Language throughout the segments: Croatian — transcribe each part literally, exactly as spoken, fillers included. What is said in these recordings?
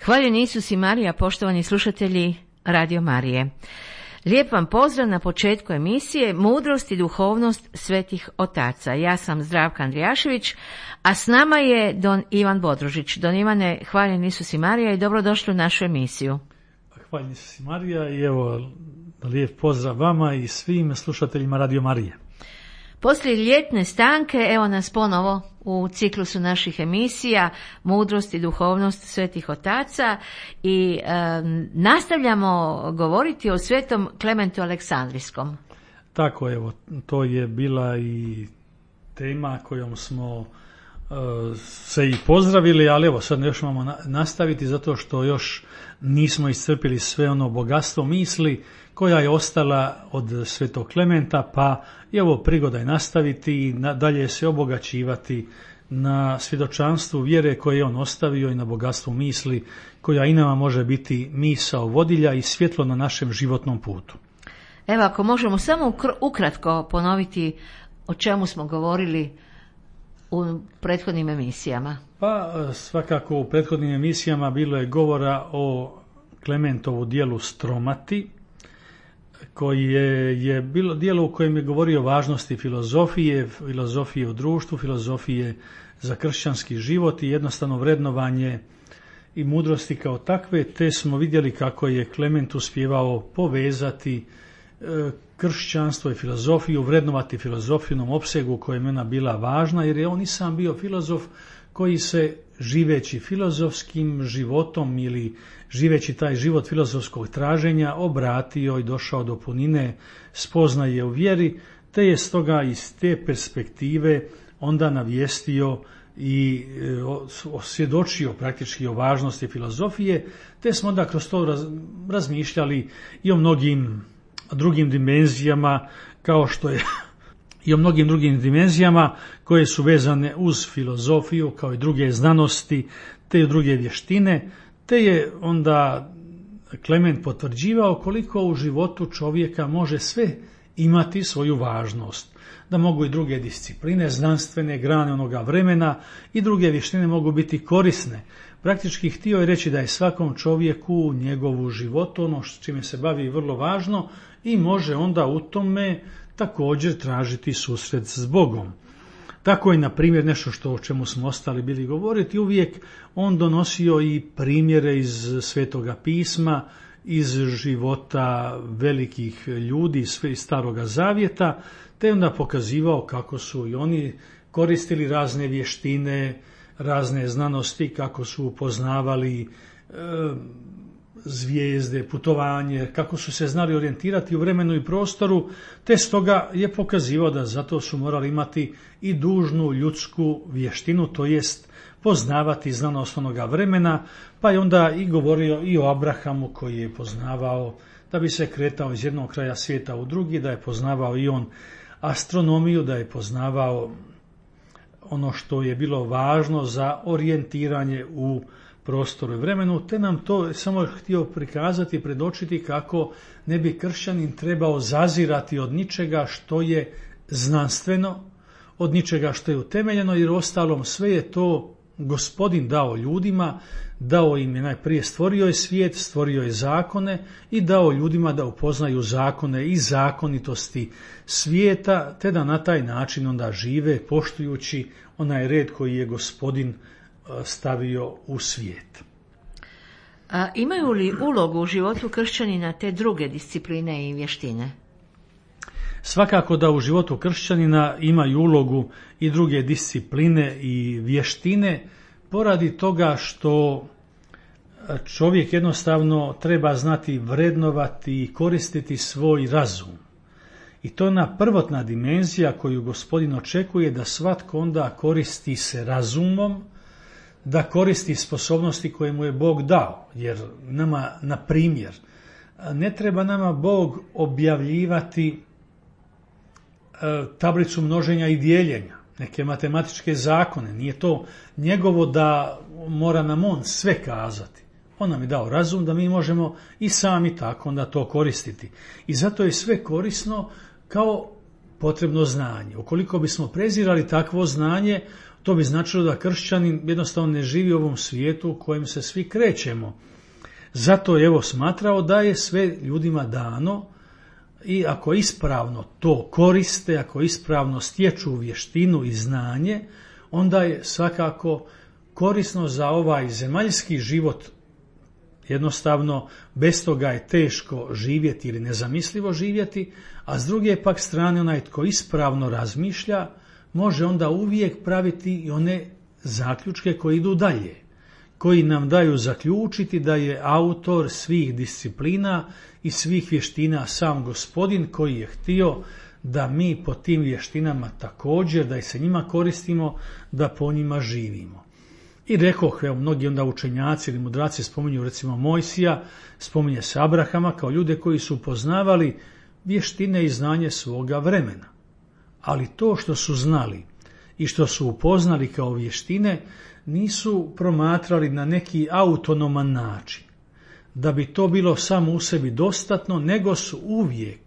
Hvaljeni Isus i Marija, poštovani slušatelji Radio Marije. Lijep vam pozdrav na početku emisije Mudrost i duhovnost svetih otaca. Ja sam Zdravka Andrijašević, a s nama je don Ivan Bodružić. Don Ivane, hvaljen Isus i Marija i dobrodošli u našu emisiju. Hvaljen Isus i Marija i evo lijep pozdrav vama i svim slušateljima Radio Marije. Poslije ljetne stanke, evo nas ponovo u ciklusu naših emisija Mudrost i duhovnost svetih otaca i e, nastavljamo govoriti o svetom Klementu Aleksandrijskom. Tako, evo, to je bila i tema kojom smo e, se i pozdravili, ali evo sad još imamo nastaviti zato što još nismo iscrpili sve ono bogatstvo misli koja je ostala od svetog Klementa, pa je ovo prigoda je nastaviti i dalje se obogaćivati na svjedočanstvu vjere koje je on ostavio i na bogatstvu misli koja i nama može biti misao vodilja i svjetlo na našem životnom putu. Evo, ako možemo samo ukratko ponoviti o čemu smo govorili u prethodnim emisijama. Pa svakako u prethodnim emisijama bilo je govora o Klementovu dijelu Stromati, koji je, je bilo dijelo u kojem je govorio o važnosti filozofije, filozofije u društvu, filozofije za kršćanski život i jednostavno vrednovanje i mudrosti kao takve, te smo vidjeli kako je Klement uspjevao povezati e, kršćanstvo i filozofiju, vrednovati filozofiju u onom opsegu u kojem je ona bila važna, jer je on i sam bio filozof koji se živeći filozofskim životom ili živeći taj život filozofskog traženja obratio i došao do punine spoznaje u vjeri, te je stoga iz te perspektive onda navijestio i osvjedočio praktički o važnosti filozofije, te smo onda kroz to raz, razmišljali i o mnogim drugim dimenzijama, kao što je i o mnogim drugim dimenzijama koje su vezane uz filozofiju kao i druge znanosti, te i druge vještine, te je onda Klement potvrđivao koliko u životu čovjeka može sve imati svoju važnost. Da mogu i druge discipline, znanstvene grane onoga vremena i druge vještine mogu biti korisne. Praktički htio je reći da je svakom čovjeku njegovu životu, ono s čime se bavi, vrlo važno i može onda u tome također tražiti susret s Bogom. Tako je, na primjer, nešto što o čemu smo ostali bili govoriti, uvijek on donosio i primjere iz Svetoga pisma, iz života velikih ljudi iz Staroga Zavjeta, te onda pokazivao kako su i oni koristili razne vještine, razne znanosti, kako su upoznavali e, zvijezde, putovanje, kako su se znali orijentirati u vremenu i prostoru, te stoga je pokazivao da zato su morali imati i dužnu ljudsku vještinu, to jest poznavati znanost onoga vremena, pa je onda i govorio i o Abrahamu koji je poznavao da bi se kretao iz jednog kraja svijeta u drugi, da je poznavao i on astronomiju, da je poznavao ono što je bilo važno za orijentiranje u prostoru i vremenu, te nam to samo htio prikazati, predočiti kako ne bi kršćanin trebao zazirati od ničega što je znanstveno, od ničega što je utemeljeno, jer ostalom sve je to Gospodin dao ljudima, dao im je najprije, stvorio je svijet, stvorio je zakone i dao ljudima da upoznaju zakone i zakonitosti svijeta, te da na taj način onda žive poštujući onaj red koji je Gospodin stavio u svijet. A imaju li ulogu u životu kršćanina te druge discipline i vještine? Svakako da u životu kršćanina imaju ulogu i druge discipline i vještine, poradi toga što čovjek jednostavno treba znati vrednovati i koristiti svoj razum. I to je ona prvotna dimenzija koju Gospodin očekuje, da svatko onda koristi se razumom, da koristi sposobnosti koje mu je Bog dao. Jer nama, na primjer, ne treba nama Bog objavljivati tablicu množenja i dijeljenja, neke matematičke zakone. Nije to njegovo da mora nam on sve kazati. On nam je dao razum da mi možemo i sami tako onda to koristiti. I zato je sve korisno kao potrebno znanje. Ukoliko bismo prezirali takvo znanje, To bi značilo da kršćanin jednostavno ne živi u ovom svijetu u kojem se svi krećemo. Zato je evo smatrao da je sve ljudima dano i ako ispravno to koriste, ako ispravno stječu vještinu i znanje, onda je svakako korisno za ovaj zemaljski život. Jednostavno, bez toga je teško živjeti ili nezamislivo živjeti, a s druge pak strane onaj tko ispravno razmišlja, može onda uvijek praviti i one zaključke koji idu dalje, koji nam daju zaključiti da je autor svih disciplina i svih vještina sam Gospodin koji je htio da mi po tim vještinama također, da se njima koristimo, da po njima živimo. I rekoh, evo, mnogi onda učenjaci ili mudraci spominju recimo Mojsija, spominje se Abrahama kao ljude koji su upoznavali vještine i znanje svoga vremena. Ali to što su znali i što su upoznali kao vještine nisu promatrali na neki autonoman način, da bi to bilo samo u sebi dostatno, nego su uvijek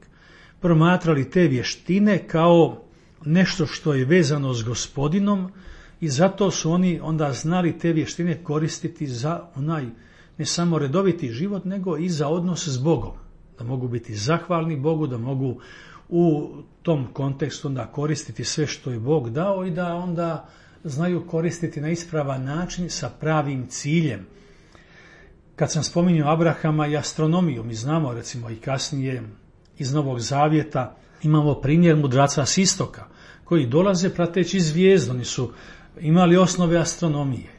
promatrali te vještine kao nešto što je vezano s Gospodinom i zato su oni onda znali te vještine koristiti za onaj ne samo redoviti život, nego i za odnos s Bogom. Da mogu biti zahvalni Bogu, da mogu u tom kontekstu onda koristiti sve što je Bog dao i da onda znaju koristiti na ispravan način sa pravim ciljem. Kad sam spominjao Abrahama i astronomiju, mi znamo recimo i kasnije iz Novog Zavjeta imamo primjer mudraca s istoka koji dolaze prateći zvijezdu, oni su imali osnove astronomije.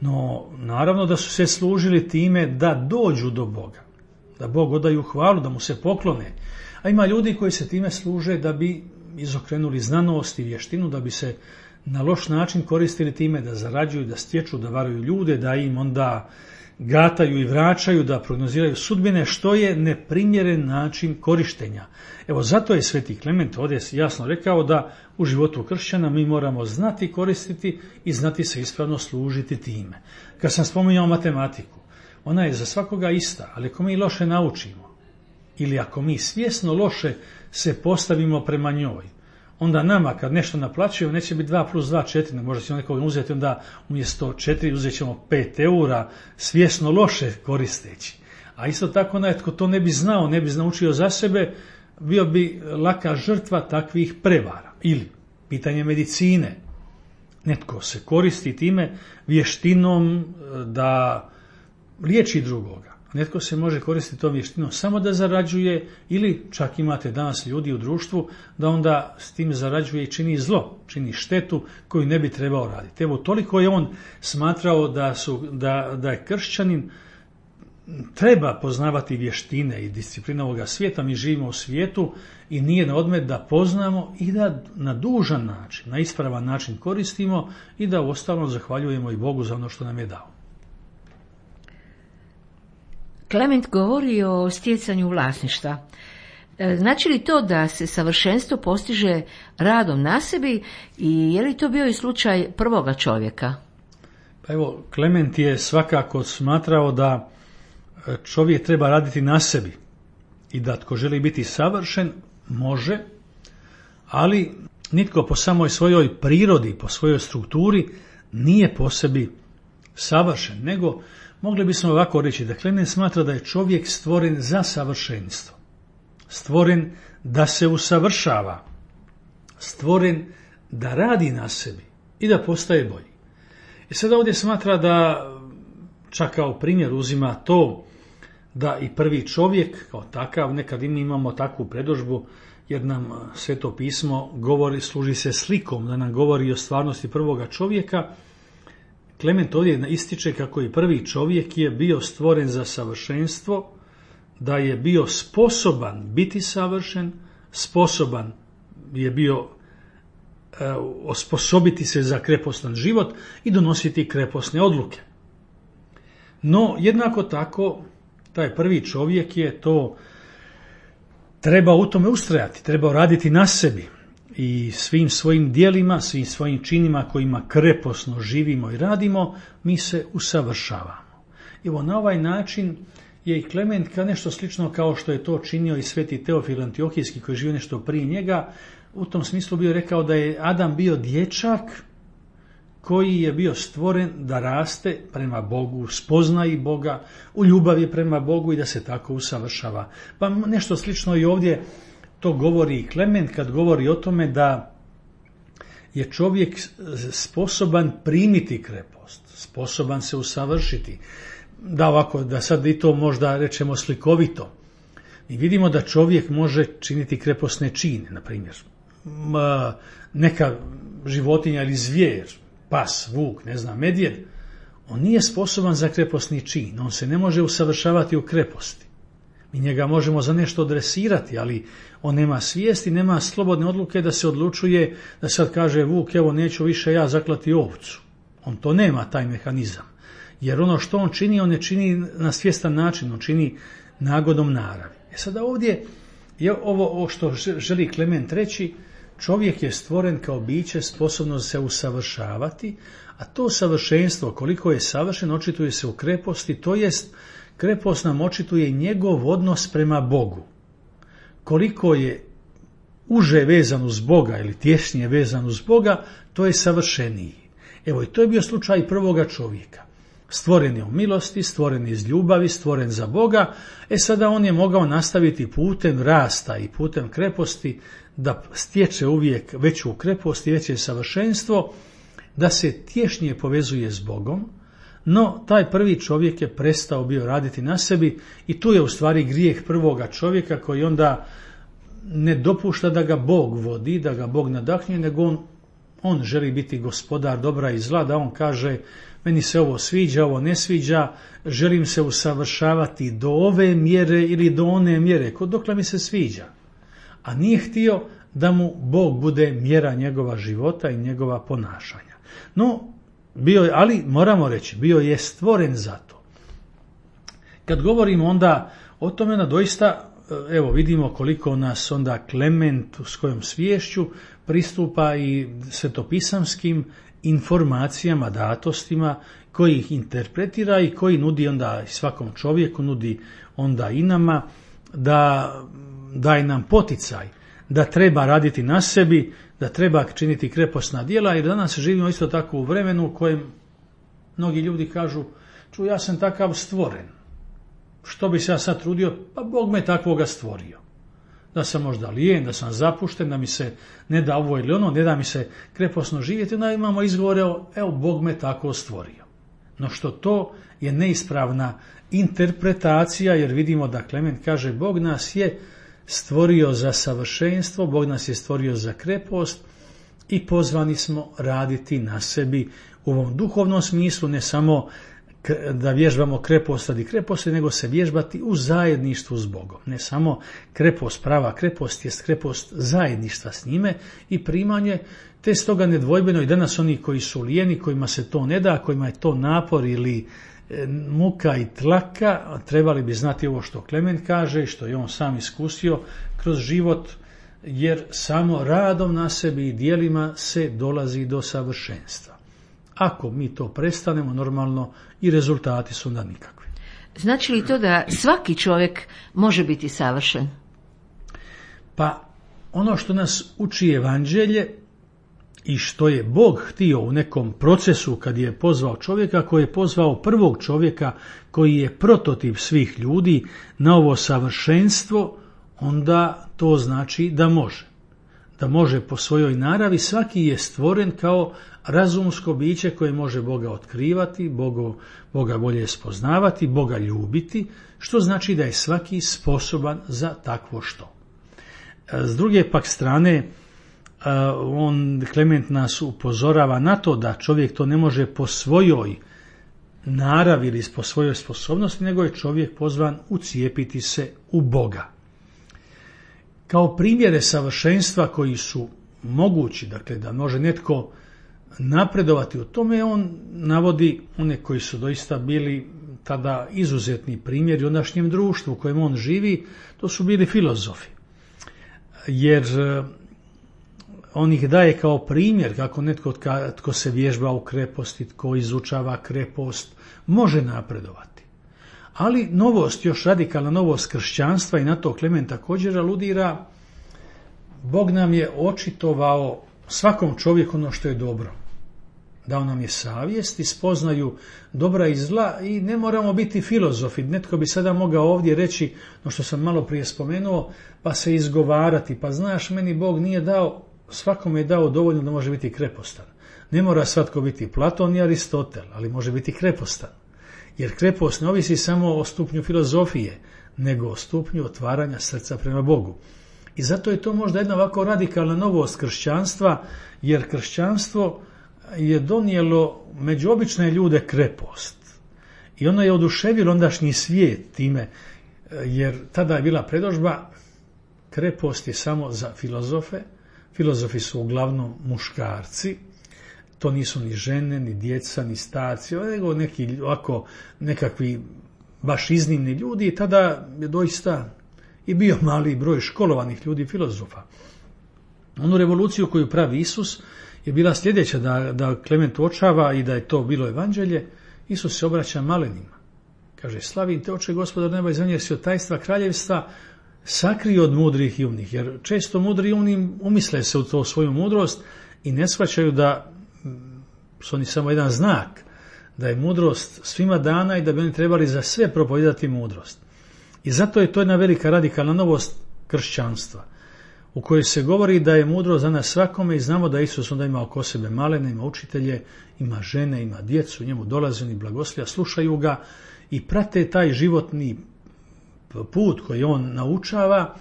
No naravno da su se služili time da dođu do Boga, da Bog odaju hvalu, da mu se poklone. A ima ljudi koji se time služe da bi izokrenuli znanost i vještinu, da bi se na loš način koristili time da zarađuju, da stječu, da varaju ljude, da im onda gataju i vraćaju, da prognoziraju sudbine, što je neprimjeren način korištenja. Evo zato je Sveti Klement ovdje jasno rekao da u životu kršćana mi moramo znati koristiti i znati se ispravno služiti time. Kad sam spominjao matematiku, ona je za svakoga ista, ali ako mi loše naučimo ili ako mi svjesno loše se postavimo prema njoj, onda nama kad nešto naplaćujemo neće biti dva plus dva četiri, možda ćemo nekog uzeti onda umjesto četiri uzet ćemo pet eura svjesno loše koristeći. A isto tako onaj tko to ne bi znao, ne bi naučio za sebe, bio bi laka žrtva takvih prevara. Ili pitanje medicine. Netko se koristi time vještinom da liječi drugoga. Netko se može koristiti tom vještinom samo da zarađuje ili čak imate danas ljudi u društvu da onda s tim zarađuje i čini zlo, čini štetu koju ne bi trebao raditi. Evo toliko je on smatrao da, su, da, da je kršćanin treba poznavati vještine i discipline ovoga svijeta. Mi živimo u svijetu i nije na odmet da poznamo i da na dužan način, na ispravan način koristimo i da uostalom zahvaljujemo i Bogu za ono što nam je dao. Klement govori o stjecanju vlasništva. Znači li to da se savršenstvo postiže radom na sebi i je li to bio i slučaj prvoga čovjeka? Pa evo, Klement je svakako smatrao da čovjek treba raditi na sebi i da tko želi biti savršen može, ali nitko po samoj svojoj prirodi, po svojoj strukturi nije po sebi savršen, nego mogli bismo ovako reći da Klement smatra da je čovjek stvoren za savršenstvo, stvoren da se usavršava, stvoren da radi na sebi i da postaje bolji. I sada ovdje smatra da čak kao primjer uzima to da i prvi čovjek kao takav, nekad mi imamo takvu predodžbu jer nam Sveto pismo govori, služi se slikom da nam govori o stvarnosti prvoga čovjeka. Klement ovdje ističe kako i prvi čovjek je bio stvoren za savršenstvo, da je bio sposoban biti savršen, sposoban je bio e, osposobiti se za krepostan život i donositi kreposne odluke. No, jednako tako, taj prvi čovjek je to treba u tome ustrajati, treba raditi na sebi i svim svojim djelima, svim svojim činima kojima kreposno živimo i radimo, mi se usavršavamo. Evo, na ovaj način je i Klement kao nešto slično kao što je to činio i sveti Teofil Antiohijski koji živio nešto prije njega, u tom smislu bio rekao da je Adam bio dječak koji je bio stvoren da raste prema Bogu, spoznaji Boga, u ljubavi prema Bogu i da se tako usavršava. Pa nešto slično i ovdje to govori i Klement kad govori o tome da je čovjek sposoban primiti krepost, sposoban se usavršiti. Da ovako, da sad i to možda rečemo slikovito. Mi vidimo da čovjek može činiti kreposne čine, na primjer. Neka životinja ili zvijer, pas, vuk, ne znam, medvjed, on nije sposoban za kreposni čin, on se ne može usavršavati u kreposti. Mi njega možemo za nešto adresirati, ali on nema svijesti, nema slobodne odluke da se odlučuje, da sad kaže vuk, evo neću više ja zaklati ovcu. On to nema, taj mehanizam. Jer ono što on čini, on ne čini na svjestan način, on čini nagodom naravi. E sada ovdje je ovo, ovo što želi Klement reći, čovjek je stvoren kao biće sposobno se usavršavati, a to savršenstvo, koliko je savršen, očituje se u kreposti, to jest krepost nam očituje njegov odnos prema Bogu. Koliko je uže vezan uz Boga ili tješnije vezan uz Boga, to je savršeniji. Evo i to je bio slučaj prvoga čovjeka. Stvoren je u milosti, stvoren je iz ljubavi, stvoren za Boga, e sada on je mogao nastaviti putem rasta i putem kreposti da stječe uvijek veću krepost i veće savršenstvo, da se tješnije povezuje s Bogom, no taj prvi čovjek je prestao bio raditi na sebi i tu je u stvari grijeh prvoga čovjeka koji onda ne dopušta da ga Bog vodi, da ga Bog nadahnje, nego on, on želi biti gospodar dobra i zla, da on kaže meni se ovo sviđa, ovo ne sviđa, želim se usavršavati do ove mjere ili do one mjere, dokle mi se sviđa. A nije htio da mu Bog bude mjera njegova života i njegova ponašanja. No, bio je, ali moramo reći, bio je stvoren za to. Kad govorimo onda o tome, na doista, evo vidimo koliko nas onda Klement s kojom sviješću pristupa i svetopisamskim informacijama, datostima, koji ih interpretira i koji nudi onda svakom čovjeku, nudi onda i nama, da daje nam poticaj, da treba raditi na sebi, da treba činiti kreposna djela, jer danas živimo isto tako u vremenu u kojem mnogi ljudi kažu, ču ja sam takav stvoren, što bi se ja sad trudio, pa Bog me takvoga stvorio. Da sam možda lijen, da sam zapušten, da mi se ne da ovo ili ono, ne da mi se kreposno živjeti, onda imamo izgovore, evo Bog me tako stvorio. No što to je neispravna interpretacija, jer vidimo da Klement kaže Bog nas je stvorio za savršenstvo, Bog nas je stvorio za krepost i pozvani smo raditi na sebi u ovom duhovnom smislu, ne samo da vježbamo krepost radi kreposti, nego se vježbati u zajedništvu s Bogom. Ne samo krepost, prava krepost jest krepost zajedništva s njime i primanje, te stoga nedvojbeno i danas oni koji su lijeni, kojima se to ne da, kojima je to napor ili muka i tlaka, trebali bi znati ovo što Klement kaže i što je on sam iskusio kroz život, jer samo radom na sebi i djelima se dolazi do savršenstva. Ako mi to prestanemo, normalno i rezultati su onda nikakvi. Znači li to da svaki čovjek može biti savršen? Pa ono što nas uči evanđelje i što je Bog htio u nekom procesu kad je pozvao čovjeka, koji je pozvao prvog čovjeka koji je prototip svih ljudi na ovo savršenstvo, onda to znači da može. Da može po svojoj naravi, svaki je stvoren kao razumsko biće koje može Boga otkrivati, Boga, Boga bolje spoznavati, Boga ljubiti, što znači da je svaki sposoban za takvo što. S druge pak strane, on, Klement nas upozorava na to da čovjek to ne može po svojoj naravi ili po svojoj sposobnosti, nego je čovjek pozvan ucijepiti se u Boga. Kao primjere savršenstva koji su mogući, dakle da može netko napredovati u tome, on navodi one koji su doista bili tada izuzetni primjeri u ondašnjem društvu u kojem on živi, to su bili filozofi. Jer on ih daje kao primjer kako netko tko se vježba u kreposti, tko izučava krepost, može napredovati. Ali novost, još radikalna novost kršćanstva, i na to Klement također aludira, Bog nam je očitovao svakom čovjeku ono što je dobro. Dao nam je savjest i spoznaju dobra i zla i ne moramo biti filozofi. Netko bi sada mogao ovdje reći, no što sam malo prije spomenuo, pa se izgovarati, pa znaš, meni Bog nije dao, svakome je dao dovoljno da može biti krepostan. Ne mora svatko biti Platon i Aristotel, ali može biti krepostan. Jer krepost ne ovisi samo o stupnju filozofije, nego o stupnju otvaranja srca prema Bogu. I zato je to možda jedna ovako radikalna novost kršćanstva, jer kršćanstvo je donijelo među obične ljude krepost. I ono je oduševilo ondašnji svijet time, jer tada je bila predodžba, krepost je samo za filozofe, filozofi su uglavnom muškarci, to nisu ni žene, ni djeca, ni starci, nego neki ovako nekakvi baš iznimni ljudi i tada je doista i bio mali broj školovanih ljudi filozofa. Onu revoluciju koju pravi Isus je bila sljedeća, da, da Klement uočava i da je to bilo evanđelje. Isus se obraća malenima. Kaže, slavim te oče Gospodar neba i zemlje, jer si od tajstva kraljevstva sakrio od mudrih i umnih. Jer često mudri i umni umisle se u to svoju mudrost i ne shvaćaju da su oni samo jedan znak, da je mudrost svima dana i da bi oni trebali za sve propovijedati mudrost. I zato je to jedna velika radikalna novost kršćanstva, u kojoj se govori da je mudrost za nas svakome i znamo da Isus onda ima oko sebe malene, ima učitelje, ima žene, ima djecu, njemu dolaze oni blagoslija, slušaju ga i prate taj životni put koji on naučava,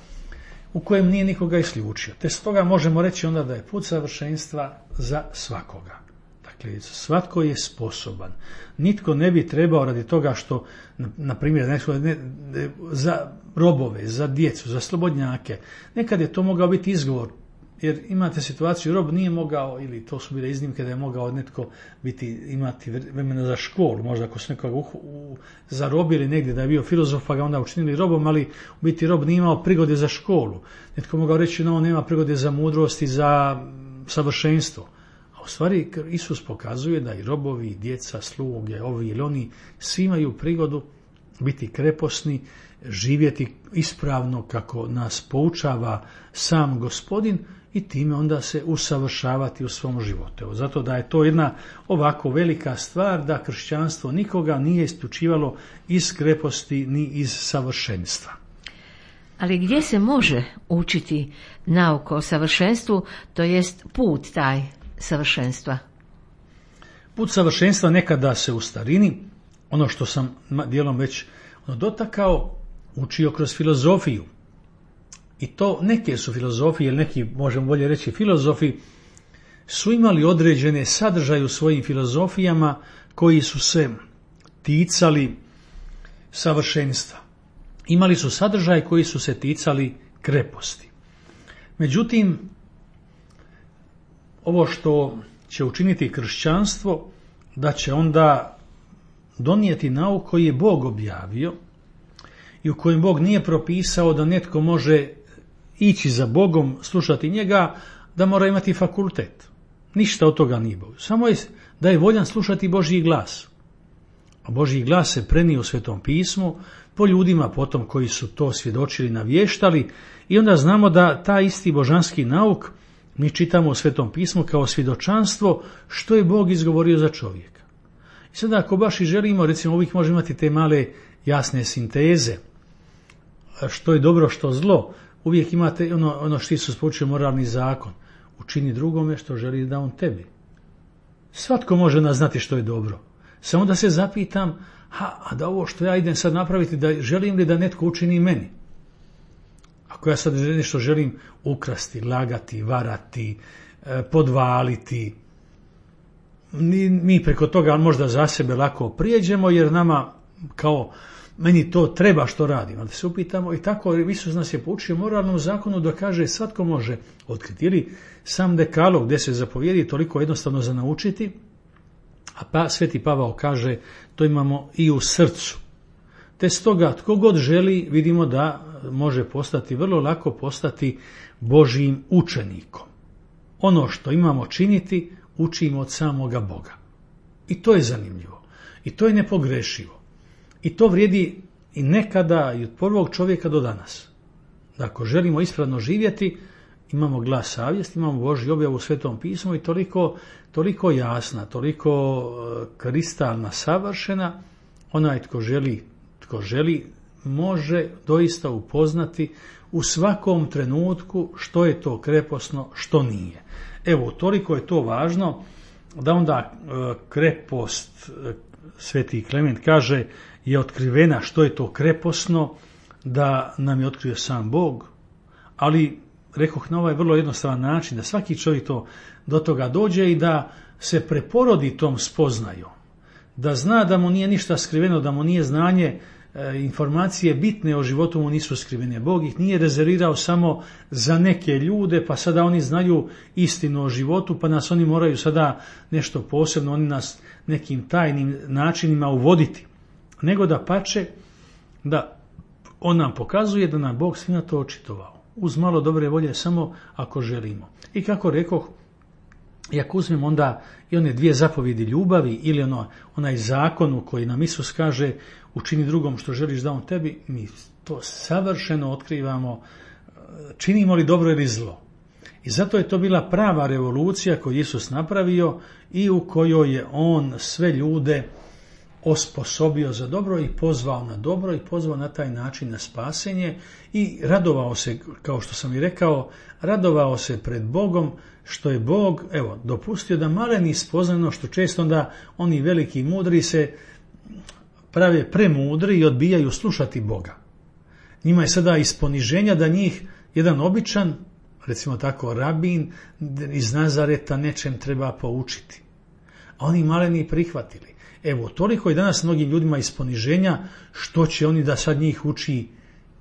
u kojem nije nikoga isključio. Te stoga možemo reći onda da je put savršenstva za svakoga. Dakle, svatko je sposoban. Nitko ne bi trebao radi toga što, na primjer, ne, ne, za robove, za djecu, za slobodnjake, nekad je to mogao biti izgovor, jer imate situaciju, rob nije mogao, ili to su bile iznimke da je mogao netko biti, imati vremena za školu, možda ako su nekoga u, u, zarobili negdje da je bio filozof pa ga onda učinili robom, ali u biti rob nije imao prigode za školu. Netko mogao reći, no, on nema prigode za mudrost i za savršenstvo. U stvari, Isus pokazuje da i robovi, i djeca, sluge, ovi ili oni, svi imaju prigodu biti kreposni, živjeti ispravno kako nas poučava sam Gospodin i time onda se usavršavati u svom životu. Evo, zato da je to jedna ovako velika stvar da kršćanstvo nikoga nije isključivalo iz kreposti ni iz savršenstva. Ali gdje se može učiti nauka o savršenstvu, to jest put taj savršenstva? Put savršenstva nekada se u starini, ono što sam dijelom već ono dotakao, učio kroz filozofiju. I to neke su filozofije, ili neki, možemo bolje reći, filozofi, su imali određene sadržaje u svojim filozofijama koji su se ticali savršenstva. Imali su sadržaj koji su se ticali kreposti. Međutim, ovo što će učiniti kršćanstvo, da će onda donijeti nauk koji je Bog objavio i u kojem Bog nije propisao da netko može ići za Bogom, slušati njega, da mora imati fakultet. Ništa od toga nije Bog. Samo je da je voljan slušati Božji glas. A Božji glas se prenio u Svetom pismu po ljudima potom koji su to svjedočili, navještali i onda znamo da taj isti božanski nauk mi čitamo u Svetom pismu kao svjedočanstvo što je Bog izgovorio za čovjeka. I sada ako baš i želimo, recimo uvijek možemo imati te male jasne sinteze, što je dobro, što zlo, uvijek imate ono, ono što Isus poučio moralni zakon, učini drugome što želi da on tebi. Svatko može naznati što je dobro. Samo da se zapitam, ha, a da ovo što ja idem sad napraviti, da želim li da netko učini meni? Ako ja sad nešto želim ukrasti, lagati, varati, podvaliti, mi preko toga možda za sebe lako prijeđemo, jer nama kao meni to treba što radim. Ali da se upitamo, i tako Isus nas je poučio moralnom zakonu da kaže svatko može otkriti. Ili sam dekalog gdje se zapovjedi toliko jednostavno za naučiti, a pa Sveti Pavao kaže to imamo i u srcu. Te stoga tko god želi, vidimo da može postati, vrlo lako postati Božjim učenikom. Ono što imamo činiti, učimo od samoga Boga. I to je zanimljivo. I to je nepogrešivo. I to vrijedi i nekada i od prvog čovjeka do danas. Da ako želimo ispravno živjeti, imamo glas savjesti, imamo Božju objavu u Svetom pismu i toliko, toliko jasna, toliko kristalna, savršena, onaj tko želi, tko želi može doista upoznati u svakom trenutku što je to kreposno, što nije. Evo, toliko je to važno da onda krepost, Sveti Klement kaže, je otkrivena što je to kreposno, da nam je otkrio sam Bog, ali rekoh na ovaj vrlo jednostavan način, da svaki čovjek to do toga dođe i da se preporodi tom spoznajom, da zna da mu nije ništa skriveno, da mu nije znanje, e, informacije bitne o životu mu nisu skrivene. Bog ih nije rezervirao samo za neke ljude, pa sada oni znaju istinu o životu, pa nas oni moraju sada nešto posebno, oni nas nekim tajnim načinima uvoditi. Nego da pače, da on nam pokazuje da nam Bog sve na to očitovao. Uz malo dobre volje, samo ako želimo. I kako rekoh, i ako uzmem onda i one dvije zapovjedi ljubavi ili ono, onaj zakon u koji nam Isus kaže učini drugom što želiš da on tebi, mi to savršeno otkrivamo, činimo li dobro ili zlo. I zato je to bila prava revolucija koju Isus napravio i u kojoj je on sve ljude osposobio za dobro i pozvao na dobro i pozvao na taj način na spasenje i radovao se, kao što sam i rekao, radovao se pred Bogom što je Bog, evo, dopustio da maleni spoznano, što često onda oni veliki mudri se prave premudri i odbijaju slušati Boga. Njima je sada iz poniženja da njih jedan običan, recimo tako rabin iz Nazareta nečem treba poučiti. A oni maleni prihvatili. Evo, toliko je danas mnogim ljudima iz poniženja, što će oni da sad njih uči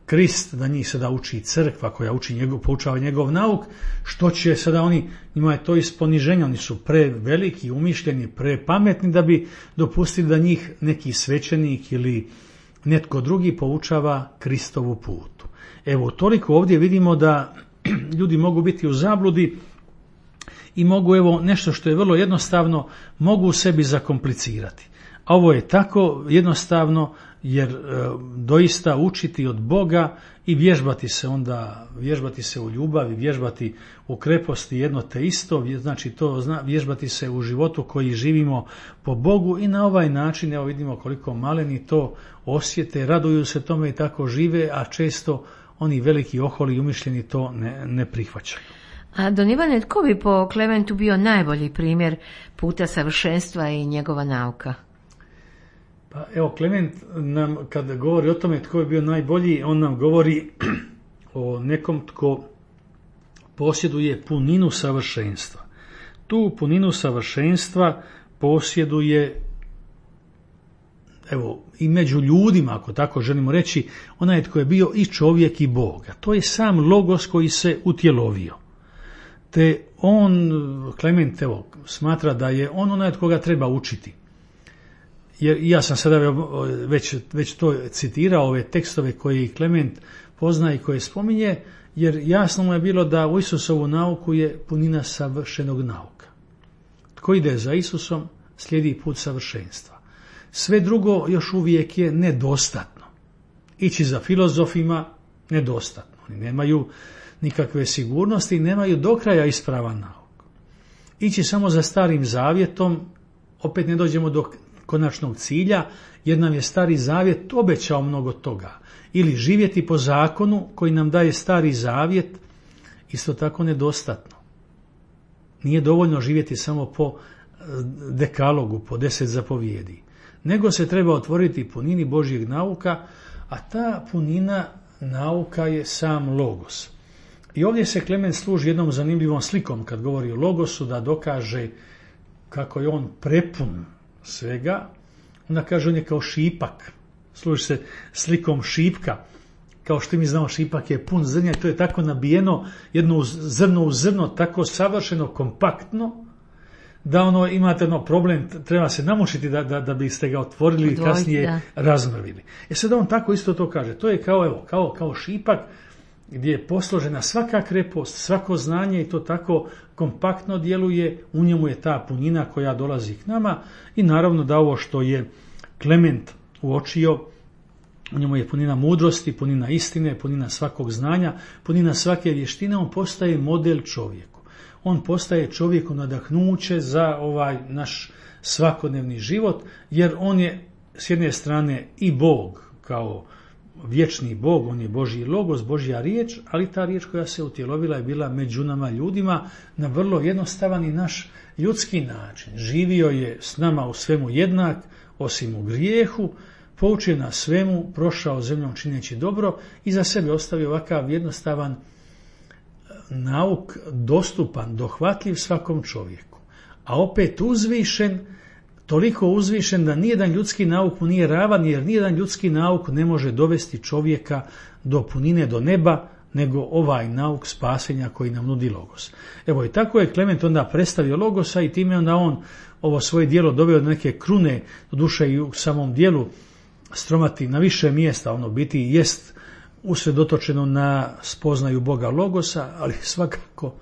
Krist, da njih sada uči crkva koja uči njegov, poučava njegov nauk, što će sada oni, njima je to iz poniženja, oni su preveliki, umišljeni, prepametni da bi dopustili da njih neki svećenik ili netko drugi poučava Kristovu putu. Evo, toliko ovdje vidimo da ljudi mogu biti u zabludi i mogu, evo, nešto što je vrlo jednostavno, mogu u sebi zakomplicirati. A ovo je tako jednostavno jer e, doista učiti od Boga i vježbati se onda, vježbati se u ljubavi, vježbati u kreposti jedno te isto, znači to zna, vježbati se u životu koji živimo po Bogu i na ovaj način, evo vidimo koliko maleni to osjete, raduju se tome i tako žive, a često oni veliki oholi i umišljeni to ne, ne prihvaćaju. A Don Ivane, tko bi po Klementu bio najbolji primjer puta savršenstva i njegova nauka? Pa evo, Klement nam kad govori o tome tko je bio najbolji, on nam govori o nekom tko posjeduje puninu savršenstva. Tu puninu savršenstva posjeduje, evo, i među ljudima, ako tako želimo reći, onaj tko je bio i čovjek i Bog. A to je sam Logos koji se utjelovio. Te on, Klement, evo, smatra da je on onaj od koga treba učiti. Jer ja sam sada već, već to citirao, ove tekstove koje Klement pozna i koje spominje, jer jasno mu je bilo da u Isusovu nauku je punina savršenog nauka. Tko ide za Isusom, slijedi put savršenstva. Sve drugo još uvijek je nedostatno. Ići za filozofima, nedostatno. Oni nemaju nikakve sigurnosti i nemaju do kraja ispravan nauk. Ići samo za Starim Zavjetom, opet ne dođemo do konačnog cilja, jer nam je Stari Zavjet obećao mnogo toga. Ili živjeti po zakonu koji nam daje Stari Zavjet, isto tako nedostatno. Nije dovoljno živjeti samo po dekalogu, po deset zapovjedi. Nego se treba otvoriti punini Božjeg nauka, a ta punina nauka je sam Logos. I ovdje se Klement služi jednom zanimljivom slikom kad govori o Logosu, da dokaže kako je on prepun svega. Onda kaže on je kao šipak. Služi se slikom šipka. Kao što mi znamo, šipak je pun zrnja i to je tako nabijeno jedno zrno u zrno, tako savršeno kompaktno, da ono imate ono problem, treba se namušiti da, da, da biste ga otvorili i kasnije da. razmrvili. E sad on tako isto to kaže. To je kao, evo, kao, kao šipak gdje je posložena svaka krepost, svako znanje i to tako kompaktno djeluje, u njemu je ta punina koja dolazi k nama i naravno da ovo što je Klement uočio, u njemu je punina mudrosti, punina istine, punina svakog znanja, punina svake vještine, on postaje model čovjeku. On postaje čovjeku nadahnuće za ovaj naš svakodnevni život, jer on je s jedne strane i Bog kao vječni Bog, on je Božji logos, Božja riječ, ali ta riječ koja se utjelovila je bila među nama ljudima na vrlo jednostavan i naš ljudski način. Živio je s nama u svemu jednak, osim u grijehu, poučio nas svemu, prošao zemljom čineći dobro i za sebe ostavio ovakav jednostavan nauk, dostupan, dohvatljiv svakom čovjeku. A opet uzvišen, toliko uzvišen da nijedan ljudski nauk mu nije ravan, jer nijedan ljudski nauk ne može dovesti čovjeka do punine, do neba, nego ovaj nauk spasenja koji nam nudi Logos. Evo i tako je Klement onda predstavio Logosa i time onda on ovo svoje djelo doveo do neke krune, do duše i u samom dijelu Stromati na više mjesta, ono biti jest usredotočeno na spoznaju Boga Logosa, ali svakako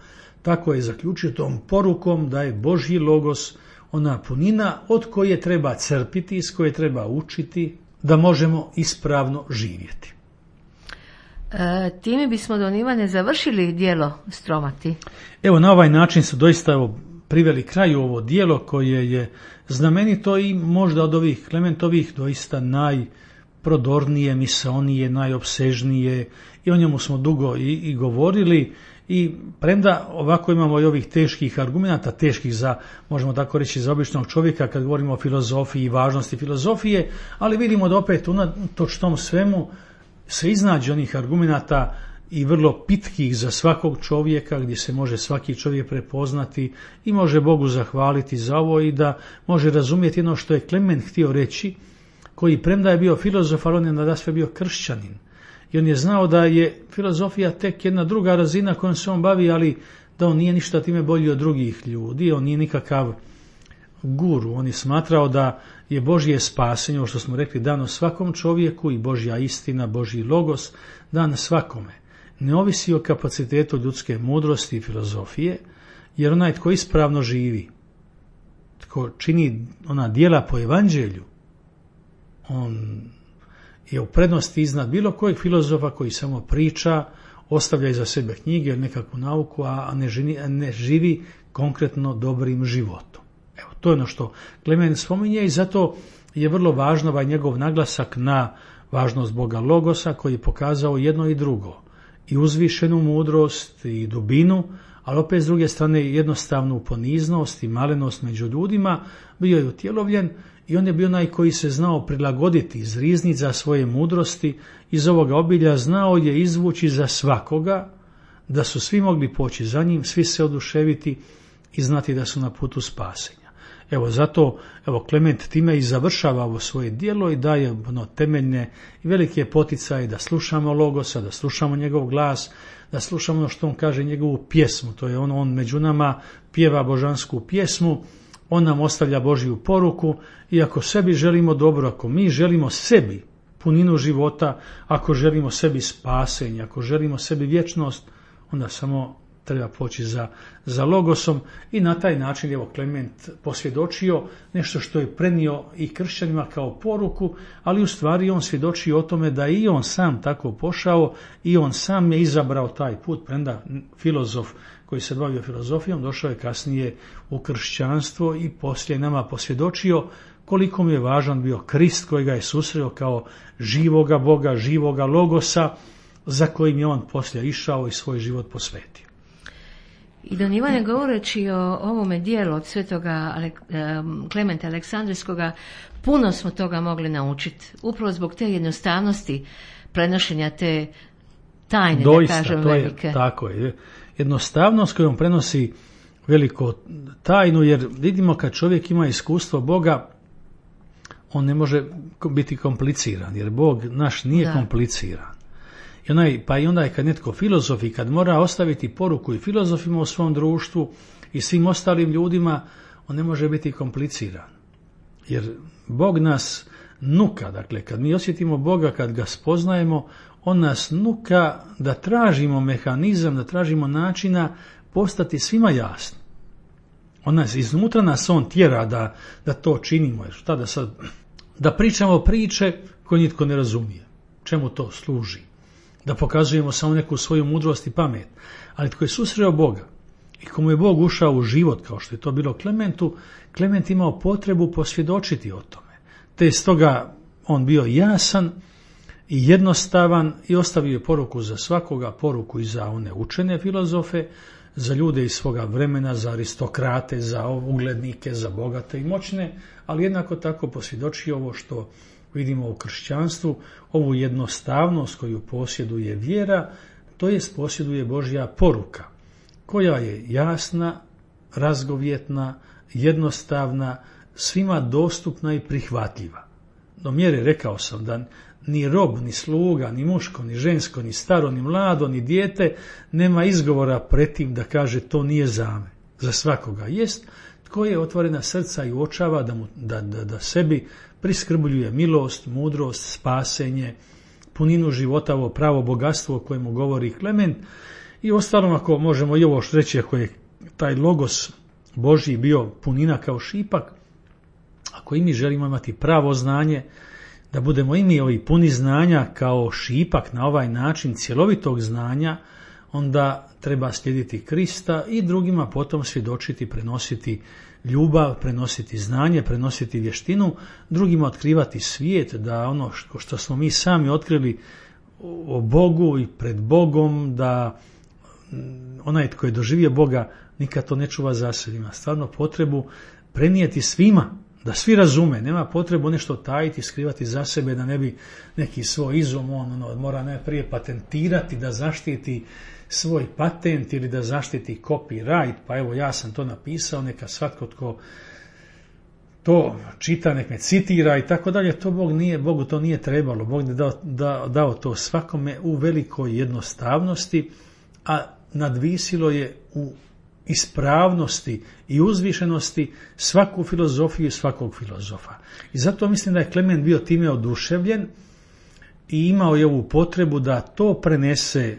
tako je zaključio tom porukom da je Božji Logos ona punina od koje treba crpiti, iz koje treba učiti, da možemo ispravno živjeti. E, time bismo, don Ivane, završili djelo Stromati. Evo, na ovaj način su doista evo, priveli kraju ovo djelo koje je znamenito i možda od ovih Klementovih doista najprodornije, misaonije, najopsežnije i o njemu smo dugo i, i govorili. I premda ovako imamo i ovih teških argumenata, teških za, možemo tako reći, za običnog čovjeka kad govorimo o filozofiji i važnosti filozofije, ali vidimo da opet unatoč tom svemu se iznađe onih argumenata i vrlo pitkih za svakog čovjeka, gdje se može svaki čovjek prepoznati i može Bogu zahvaliti za ovo i da može razumjeti ono što je Klement htio reći, koji premda je bio filozof, ali on je nadasve bio kršćanin. I on je znao da je filozofija tek jedna druga razina kojom se on bavi, ali da on nije ništa time bolji od drugih ljudi, on nije nikakav guru. On je smatrao da je Božje spasenje, ovo što smo rekli, dano svakom čovjeku i Božja istina, Božji logos, dan svakome. Ne ovisi o kapacitetu ljudske mudrosti i filozofije, jer onaj tko ispravno živi, tko čini ona djela po evanđelju, on je u prednosti iznad bilo kojeg filozofa koji samo priča, ostavlja iza sebe knjige ili nekakvu nauku, a ne živi, ne živi konkretno dobrim životom. Evo, to je ono što Klement spominje i zato je vrlo važno ovaj njegov naglasak na važnost Boga Logosa koji je pokazao jedno i drugo. I uzvišenu mudrost i dubinu, ali opet s druge strane jednostavnu poniznost i malenost među ljudima, bio je utjelovljen i on je bio onaj koji se znao prilagoditi, izrizniti za svoje mudrosti, iz ovoga obilja znao je izvući za svakoga, da su svi mogli poći za njim, svi se oduševiti i znati da su na putu spasenja. Evo zato, evo Klement time i završava ovo svoje djelo i daje ono temeljne i velike poticaje da slušamo Logosa, da slušamo njegov glas, da slušamo ono što on kaže, njegovu pjesmu. To je ono, on među nama pjeva božansku pjesmu, on nam ostavlja Božju poruku i ako sebi želimo dobro, ako mi želimo sebi puninu života, ako želimo sebi spasenje, ako želimo sebi vječnost, onda samo treba poći za, za Logosom i na taj način evo Klement posvjedočio nešto što je prenio i kršćanima kao poruku, ali u stvari on svjedoči o tome da i on sam tako pošao i on sam je izabrao taj put, premda filozof koji se bavio filozofijom došao je kasnije u kršćanstvo i poslije nama posvjedočio koliko mu je važan bio Krist koji ga je susreo kao živoga Boga, živoga Logosa za kojim je on poslije išao i svoj život posvetio. I don Ivane, govoreći o ovome dijelu od svetoga Klementa Aleksandrijskoga, puno smo toga mogli naučiti. Upravo zbog te jednostavnosti prenošenja te tajne, doista, da kažem, to je, velike. tako je. Jednostavnost kojom prenosi veliko tajnu, jer vidimo kad čovjek ima iskustvo Boga, on ne može biti kompliciran, jer Bog naš nije da. kompliciran. I onaj, pa i onda je kad netko filozof i kad mora ostaviti poruku i filozofima u svom društvu i svim ostalim ljudima, on ne može biti kompliciran. Jer Bog nas nuka, dakle kad mi osjetimo Boga, kad ga spoznajemo, on nas nuka da tražimo mehanizam, da tražimo načina postati svima jasno. On nas, iznutra nas on tjera da, da to činimo. Jer šta da sad, da pričamo priče koje nitko ne razumije. čemu to služi? Da pokazujemo samo neku svoju mudrost i pamet. Ali tko je susreo Boga i komu je Bog ušao u život, kao što je to bilo Klementu, Klement imao potrebu posvjedočiti o tome. Te je stoga on bio jasan i jednostavan i ostavio je poruku za svakoga, poruku i za one učene filozofe, za ljude iz svoga vremena, za aristokrate, za uglednike, za bogate i moćne, ali jednako tako posvjedočio ovo što vidimo u kršćanstvu, ovu jednostavnost koju posjeduje vjera, to jest posjeduje Božja poruka, koja je jasna, razgovjetna, jednostavna, svima dostupna i prihvatljiva. Do mjere, rekao sam, da ni rob, ni sluga, ni muško, ni žensko, ni staro, ni mlado, ni dijete nema izgovora pred tim da kaže to nije za me. Za svakoga jest tko je otvorena srca i uočava da, mu, da, da, da sebi priskrbljuje milost, mudrost, spasenje, puninu života, ovo pravo bogatstvo o kojemu govori Klement. I ostalom, ako možemo i ovo reći, ako je taj logos Božji bio punina kao šipak, ako i mi želimo imati pravo znanje, da budemo i mi ovi puni znanja kao šipak na ovaj način cjelovitog znanja, onda treba slijediti Krista i drugima potom svjedočiti, prenositi ljubav, prenositi znanje, prenositi vještinu, drugima otkrivati svijet, da ono što smo mi sami otkrili o Bogu i pred Bogom, da onaj tko je doživio Boga nikad to ne čuva za sebe. Ima stvarno potrebu prenijeti svima, da svi razume, nema potrebu nešto tajiti, skrivati za sebe, da ne bi neki svoj izum, on ono, mora najprije patentirati, da zaštiti svoj patent ili da zaštiti copyright, pa evo ja sam to napisao, neka svatko tko to čita, nek me citira i tako dalje. To Bog nije, Bogu to nije trebalo. Bog je dao, dao, dao to svakome u velikoj jednostavnosti, a nadvisilo je u ispravnosti i uzvišenosti svaku filozofiju i svakog filozofa. I zato mislim da je Klement bio time oduševljen i imao je ovu potrebu da to prenese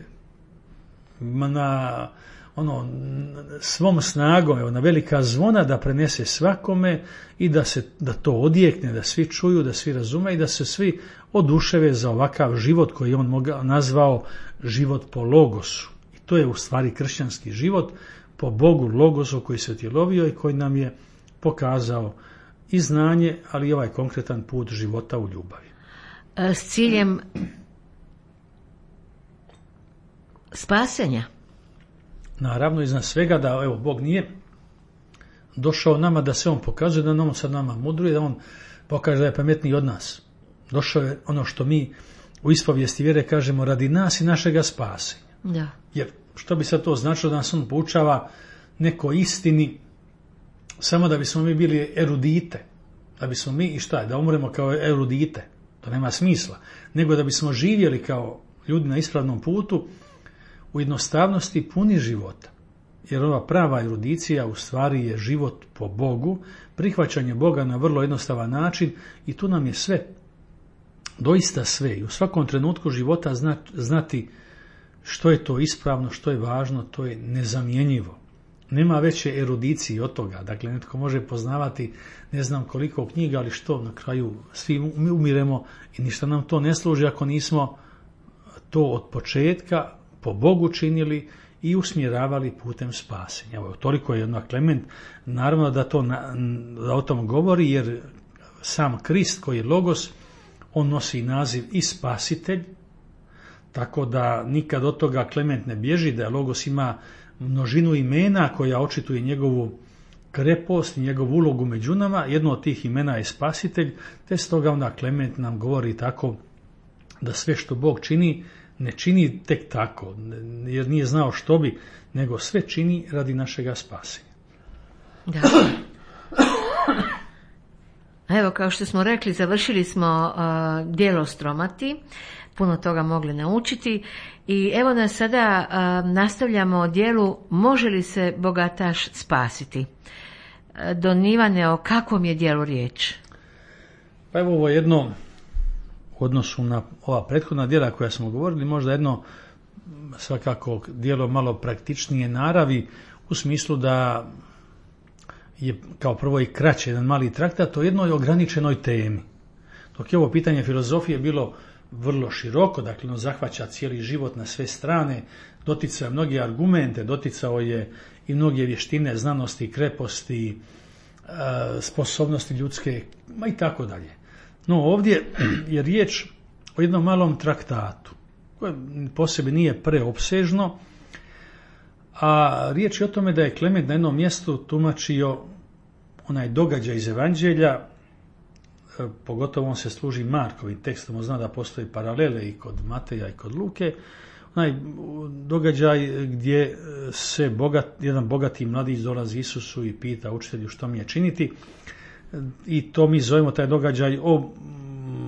na ono svom snagom, evo, na velika zvona, da prenese svakome i da se da to odjekne, da svi čuju, da svi razume i da se svi oduševe za ovakav život koji on mogao nazvao život po logosu. I to je u stvari kršćanski život po Bogu, logosu koji se utjelovio i koji nam je pokazao i znanje, ali i ovaj konkretan put života u ljubavi. S ciljem spasenja. Naravno, iznad svega da evo Bog nije došao nama da se on pokazuje, da on sad nama mudruje, da on pokaže da je pametniji od nas. Došao je ono što mi u ispovijesti vjere kažemo radi nas i našega spasenja. Da. Jer što bi sad to značilo da nas on poučava neko istini samo da bismo mi bili erudite, da bismo mi i šta je, da umremo kao erudite, to nema smisla, nego da bismo živjeli kao ljudi na ispravnom putu u jednostavnosti puni života. Jer ova prava erudicija u stvari je život po Bogu, prihvaćanje Boga na vrlo jednostavan način i tu nam je sve, doista sve. I u svakom trenutku života znati što je to ispravno, što je važno, to je nezamjenjivo. Nema veće erudicije od toga. Dakle, netko može poznavati ne znam koliko knjiga, ali što na kraju svi umiremo i ništa nam to ne služi ako nismo to od početka po Bogu činili i usmjeravali putem spasenja. Evo, toliko je jednak Klement. Naravno da, to, da o tom govori, jer sam Krist koji je logos, on nosi naziv i spasitelj, tako da nikad od toga Klement ne bježi, da logos ima množinu imena koja očituje njegovu krepost, njegovu ulogu među nama. Jedno od tih imena je spasitelj, te stoga onda Klement nam govori tako da sve što Bog čini, ne čini tek tako, jer nije znao što bi, nego sve čini radi našega spasenja. Da. Evo, kao što smo rekli, završili smo uh, djelo Stromati, puno toga mogli naučiti i evo nas sada uh, nastavljamo djelu Može li se bogataš spasiti? Uh, Don Ivane, o kakvom je djelu riječ? Pa evo ovo jedno u odnosu na ova prethodna djela koja smo govorili, možda jedno svakako djelo malo praktičnije naravi, u smislu da je kao prvo i kraće, jedan mali traktat o jednoj ograničenoj temi. Dok je ovo pitanje filozofije bilo vrlo široko, dakle ono zahvaća cijeli život na sve strane, doticao je mnoge argumente, doticao je i mnoge vještine, znanosti, kreposti, sposobnosti ljudske, ma i tako dalje. No ovdje je riječ o jednom malom traktatu, koje po sebi nije preopsežno, a riječ je o tome da je Klement na jednom mjestu tumačio onaj događaj iz Evanđelja, pogotovo on se služi Markovim tekstom, on zna da postoji paralele i kod Mateja i kod Luke, onaj događaj gdje se bogat, jedan bogati mladić dolazi Isusu i pita učitelju što mi je činiti, i to mi zovemo taj događaj o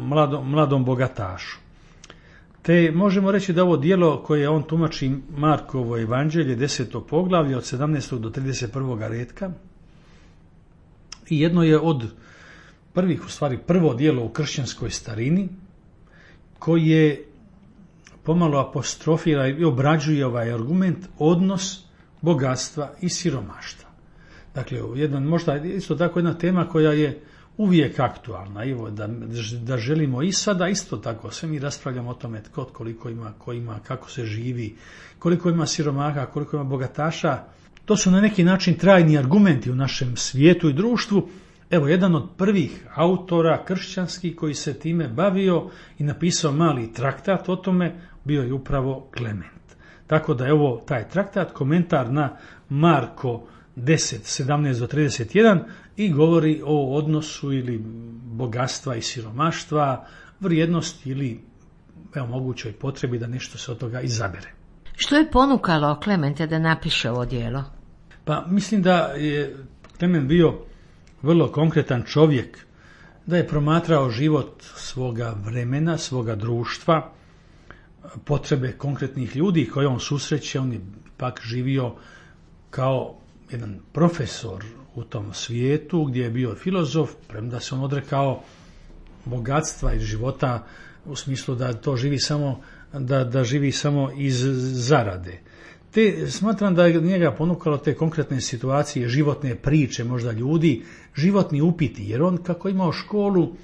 mladom, mladom bogatašu. Te možemo reći da ovo djelo koje on tumači Markovo evanđelje, deseto poglavlje od sedamnaestog do trideset prvog redka, i jedno je od prvih, u stvari prvo djelo u kršćanskoj starini, koje pomalo apostrofira i obrađuje ovaj argument odnos bogatstva i siromaštva. Dakle, jedan, možda isto tako jedna tema koja je uvijek aktualna, evo, da, da želimo i sada isto tako, sve mi raspravljamo o tome tko koliko ima, ko ima, kako se živi, koliko ima siromaha, koliko ima bogataša. To su na neki način trajni argumenti u našem svijetu i društvu. Evo, jedan od prvih autora kršćanskih koji se time bavio i napisao mali traktat o tome bio je upravo Klement. Tako da je ovo taj traktat, komentar na Marko deset, sedamnaest do trideset jedan i govori o odnosu ili bogatstva i siromaštva, vrijednosti ili evo, mogućoj potrebi da nešto se od toga izabere. Što je ponukalo Klementa da napiše ovo djelo? Pa mislim da je Klement bio vrlo konkretan čovjek, da je promatrao život svoga vremena, svoga društva, potrebe konkretnih ljudi koje on susreće. On je pak živio kao jedan profesor u tom svijetu gdje je bio filozof, premda se on odrekao bogatstva iz života u smislu da to živi samo, da, da živi samo iz zarade. Te, smatram da je njega ponukalo te konkretne situacije, životne priče možda ljudi, životni upiti, jer on kako imao školu,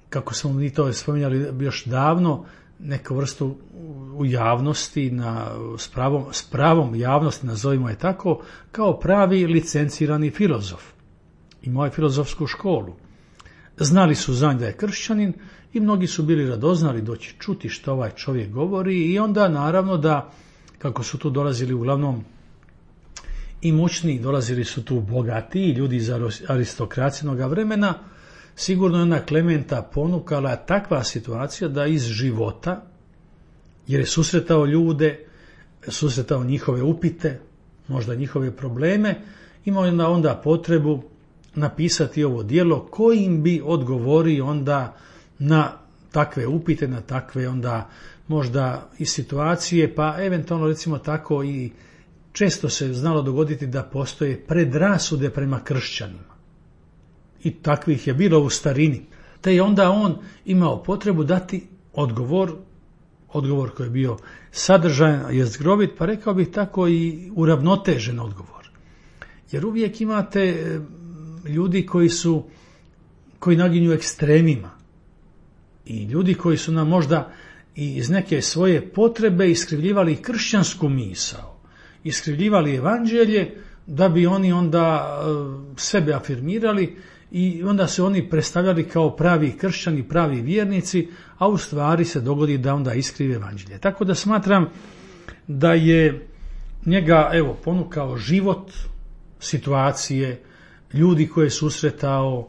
kako smo mi to spominjali još davno, neku vrstu u javnosti, na, s, pravom, s pravom javnosti, nazovimo je tako, kao pravi licencirani filozof. Imao je filozofsku školu. Znali su za njega da je kršćanin i mnogi su bili radoznali doći čuti što ovaj čovjek govori, i onda naravno da, kako su tu dolazili uglavnom i moćni, dolazili su tu bogatiji ljudi iz aristokracijnog vremena, sigurno je ona Klementa ponukala takva situacija da iz života, jer je susretao ljude, susretao njihove upite, možda njihove probleme, imao je onda potrebu napisati ovo djelo kojim bi odgovorio onda na takve upite, na takve onda možda i situacije, pa eventualno recimo tako i često se znalo dogoditi da postoje predrasude prema kršćanima. I takvih je bilo u starini. Te je onda on imao potrebu dati odgovor, odgovor koji je bio sadržajan, jezgrovit, pa rekao bih tako i uravnotežen odgovor. Jer uvijek imate ljudi koji su, koji naginju ekstremima. I ljudi koji su nam možda i iz neke svoje potrebe iskrivljivali kršćansku misao, iskrivljivali evanđelje da bi oni onda sebe afirmirali i onda se oni predstavljali kao pravi kršćani, pravi vjernici, a u stvari se dogodi da onda iskrive evanđelje. Tako da smatram da je njega evo ponukao život, situacije, ljudi koje je susretao,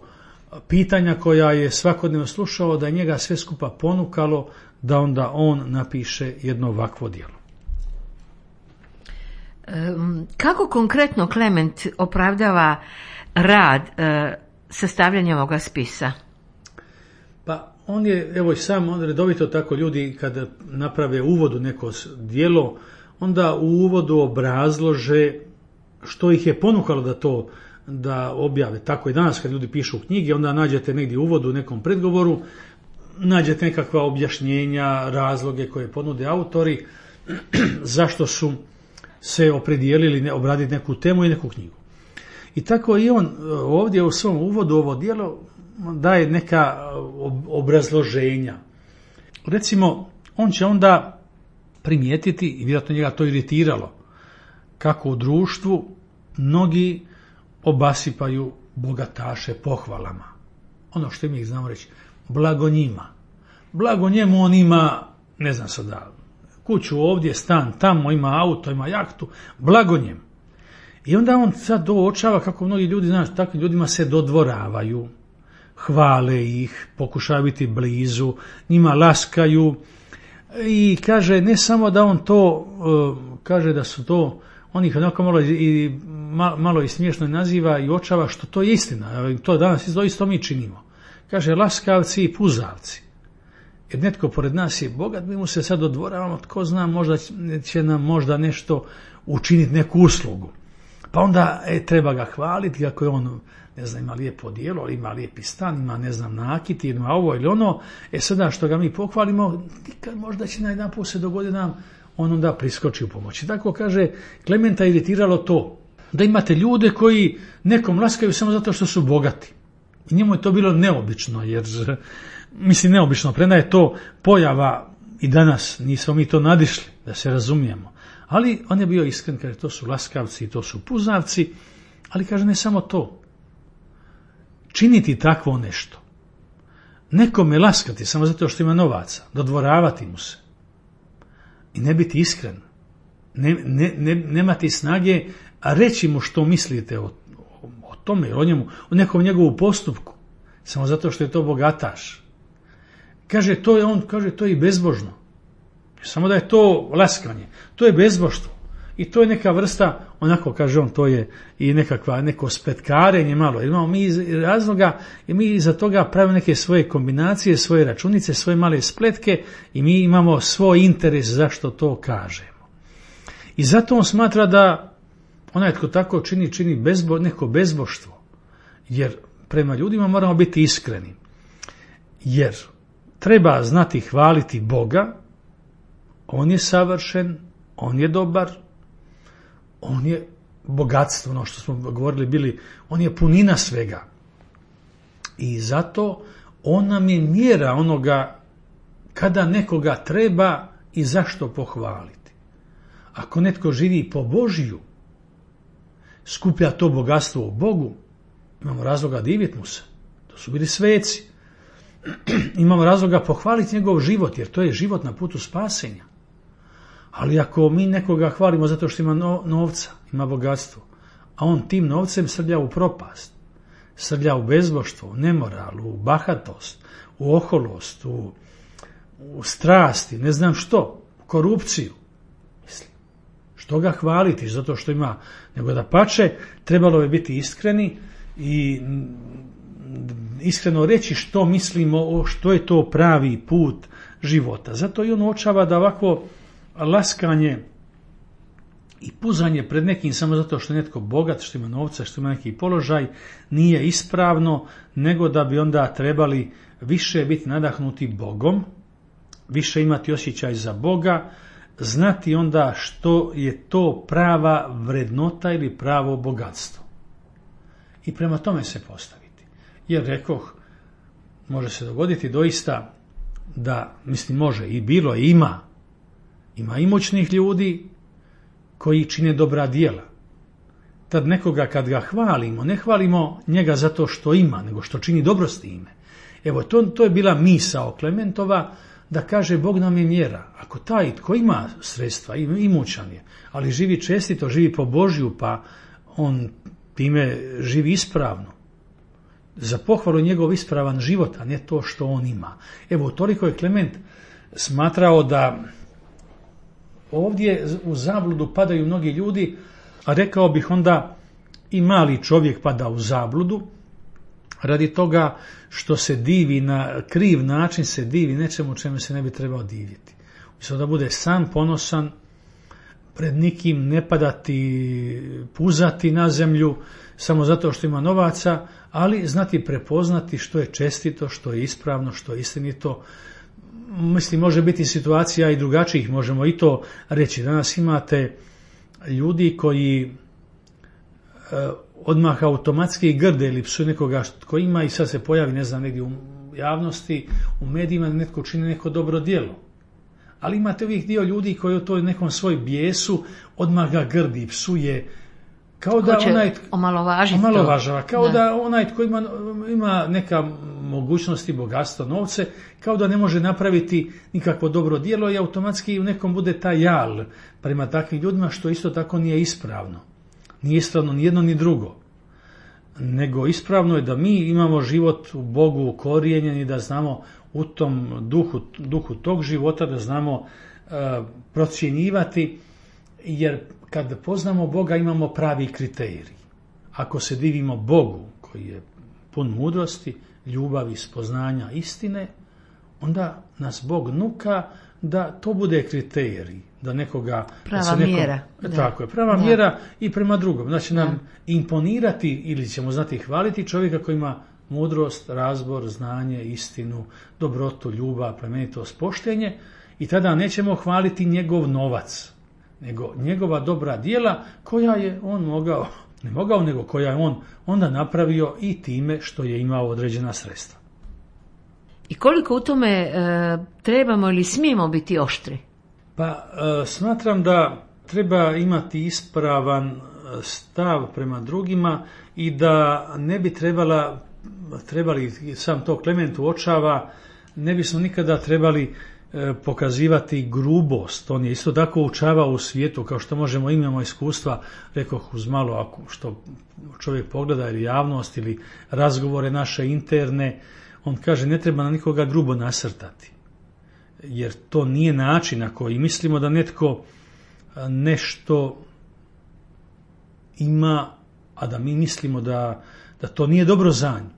pitanja koja je svakodnevno slušao, da je njega sve skupa ponukalo da onda on napiše jedno ovakvo djelo. Kako konkretno Klement opravdava rad e, sastavljanja ovoga spisa? Pa on je, evo i sam, on redovito tako ljudi kada naprave uvod u neko djelo, onda u uvodu obrazlože što ih je ponukalo da to da objave. Tako i danas kad ljudi pišu knjige, onda nađete negdje u uvodu u nekom predgovoru, nađete nekakva objašnjenja, razloge koje ponude autori, zašto su se opredijelili obraditi neku temu i neku knjigu. I tako i on ovdje u svom uvodu ovo djelo daje neka obrazloženja. recimo, on će onda primijetiti, i vjerojatno njega to iritiralo, kako u društvu mnogi obasipaju bogataše pohvalama. Ono što mi znamo reći, blago njima. Blago njemu, on ima, ne znam sada, kuću ovdje, stan tamo, ima auto, ima jahtu, blago njemu. I onda on sad uočava kako mnogi ljudi, znaš, takvim ljudima se dodvoravaju, hvale ih, pokušaju biti blizu, njima laskaju i kaže ne samo da on to, kaže da su to, on ih onako malo i, malo i smiješno naziva i uočava što to je istina, to danas isto mi činimo. Kaže laskavci i puzavci. Jer netko pored nas je bogat, mi mu se sad dodvoravamo, tko zna, možda će nam možda nešto učiniti, neku uslugu. Pa onda e, treba ga hvaliti kako je on, ne znam, ima lijepo djelo, ima lijepi stan, ima, ne znam, nakit, ima ovo ili ono. E sada što ga mi pohvalimo, možda će najjedanput se dogoditi nam, on onda priskoči u pomoći. Tako kaže, Klementa iritiralo to, da imate ljude koji nekom laskaju samo zato što su bogati. I njemu je to bilo neobično, jer, mislim neobično, premda je to pojava i danas, nismo mi to nadišli, da se razumijemo. Ali on je bio iskren, kaže to su laskavci i to su puzavci, ali kaže ne samo to. Činiti takvo nešto. Nekome laskati samo zato što ima novaca, dodvoravati mu se. I ne biti iskren. Ne, ne, ne, nemati snage, a reći mu što mislite o, o, o tome, o njemu, o nekom njegovu postupku. Samo zato što je to bogataš. Kaže, to je on, kaže, to je i bezbožno. Samo da je to laskanje. To je bezbožstvo. I to je neka vrsta, onako kaže on, to je i nekakva, neko spetkarenje malo. Jer imamo mi iz razloga, i mi iza toga pravimo neke svoje kombinacije, svoje računice, svoje male spletke i mi imamo svoj interes zašto to kažemo. I zato on smatra da onaj tko tako čini, čini bezbo, neko bezboštvo. Jer prema ljudima moramo biti iskreni. Jer treba znati hvaliti Boga, on je savršen, on je dobar, on je bogatstvo, ono što smo govorili bili, on je punina svega. I zato on nam je mjera onoga kada nekoga treba i zašto pohvaliti. Ako netko živi po Božiju, skuplja to bogatstvo u Bogu, imamo razloga diviti mu se. To su bili sveci. Imamo razloga pohvaliti njegov život, jer to je život na putu spasenja. Ali ako mi nekoga hvalimo zato što ima novca, ima bogatstvo, a on tim novcem srlja u propast, srlja u bezboštvo, u nemoral, u bahatost, u oholost, u, u strasti, ne znam što, korupciju. Mislim, što ga hvaliti zato što ima, nego da pače, trebalo je biti iskreni i iskreno reći što mislimo, što je to pravi put života. Zato i on uočava da ovako laskanje i puzanje pred nekim samo zato što je netko bogat, što ima novca, što ima neki položaj, nije ispravno, nego da bi onda trebali više biti nadahnuti Bogom, više imati osjećaj za Boga, znati onda što je to prava vrednota ili pravo bogatstvo. I prema tome se postaviti. Jer rekoh, može se dogoditi doista da, mislim može i bilo i ima, ima i moćnih ljudi koji čine dobra djela. Tad nekoga kad ga hvalimo, ne hvalimo njega zato što ima, nego što čini dobro s time. Evo, to, to je bila misao Klementova, da kaže Bog nam je mjera. Ako taj tko ima sredstva, imućan je, ali živi čestito, živi po Božju, pa on time živi ispravno. Za pohvalu njegov ispravan život, a ne to što on ima. Evo, toliko je Klement smatrao da ovdje u zabludu padaju mnogi ljudi, a rekao bih onda i mali čovjek pada u zabludu, radi toga što se divi na kriv način, se divi nečemu čemu se ne bi trebao diviti. Umjesto da bude sam ponosan, pred nikim ne padati, puzati na zemlju, samo zato što ima novaca, ali znati prepoznati što je čestito, što je ispravno, što je istinito. Mislim, može biti situacija i drugačijih, možemo i to reći. Danas imate ljudi koji e, odmah automatski grde ili psuju nekoga koji ima i sad se pojavi, ne znam, negdje u javnosti, u medijima da netko čini neko dobro djelo. Ali imate ovih dio ljudi koji u toj nekom svoj bijesu odmah ga grdi, psuje, kao da onaj omalovažava, kao da. da onaj tko ima, ima neka mogućnosti, bogatstvo, novce, kao da ne može napraviti nikakvo dobro djelo i automatski u nekom bude taj jal prema takvim ljudima, što isto tako nije ispravno. Nije ispravno ni jedno ni drugo. Nego ispravno je da mi imamo život u Bogu ukorijenjen i da znamo u tom duhu, duhu tog života, da znamo uh, procjenjivati, jer kad poznamo Boga imamo pravi kriterij. Ako se divimo Bogu koji je pun mudrosti, ljubavi, spoznanja, istine, onda nas Bog nuka da to bude kriterij, da nekoga... Prava da se nekom, mjera. Tako je, prava da. mjera i prema drugom. Znači nam da. imponirati ili ćemo znati hvaliti čovjeka koji ima mudrost, razbor, znanje, istinu, dobrotu, ljubav, plemenitost, poštenje, i tada nećemo hvaliti njegov novac, nego njegova dobra djela koja je on mogao, ne mogao, nego koja je on onda napravio i time što je imao određena sredstva. I koliko u tome e, trebamo ili smijemo biti oštri? Pa e, smatram da treba imati ispravan stav prema drugima i da ne bi trebala, trebali, sam to Klement uočava, ne bismo nikada trebali e, pokazivati grubost. On je isto tako učavao u svijetu, kao što možemo, imamo iskustva, rekoh uz malo, ako što čovjek pogleda ili javnost ili razgovore naše interne, on kaže ne treba na nikoga grubo nasrtati, jer to nije način na koji mislimo da netko nešto ima, a da mi mislimo da, da to nije dobro za nju,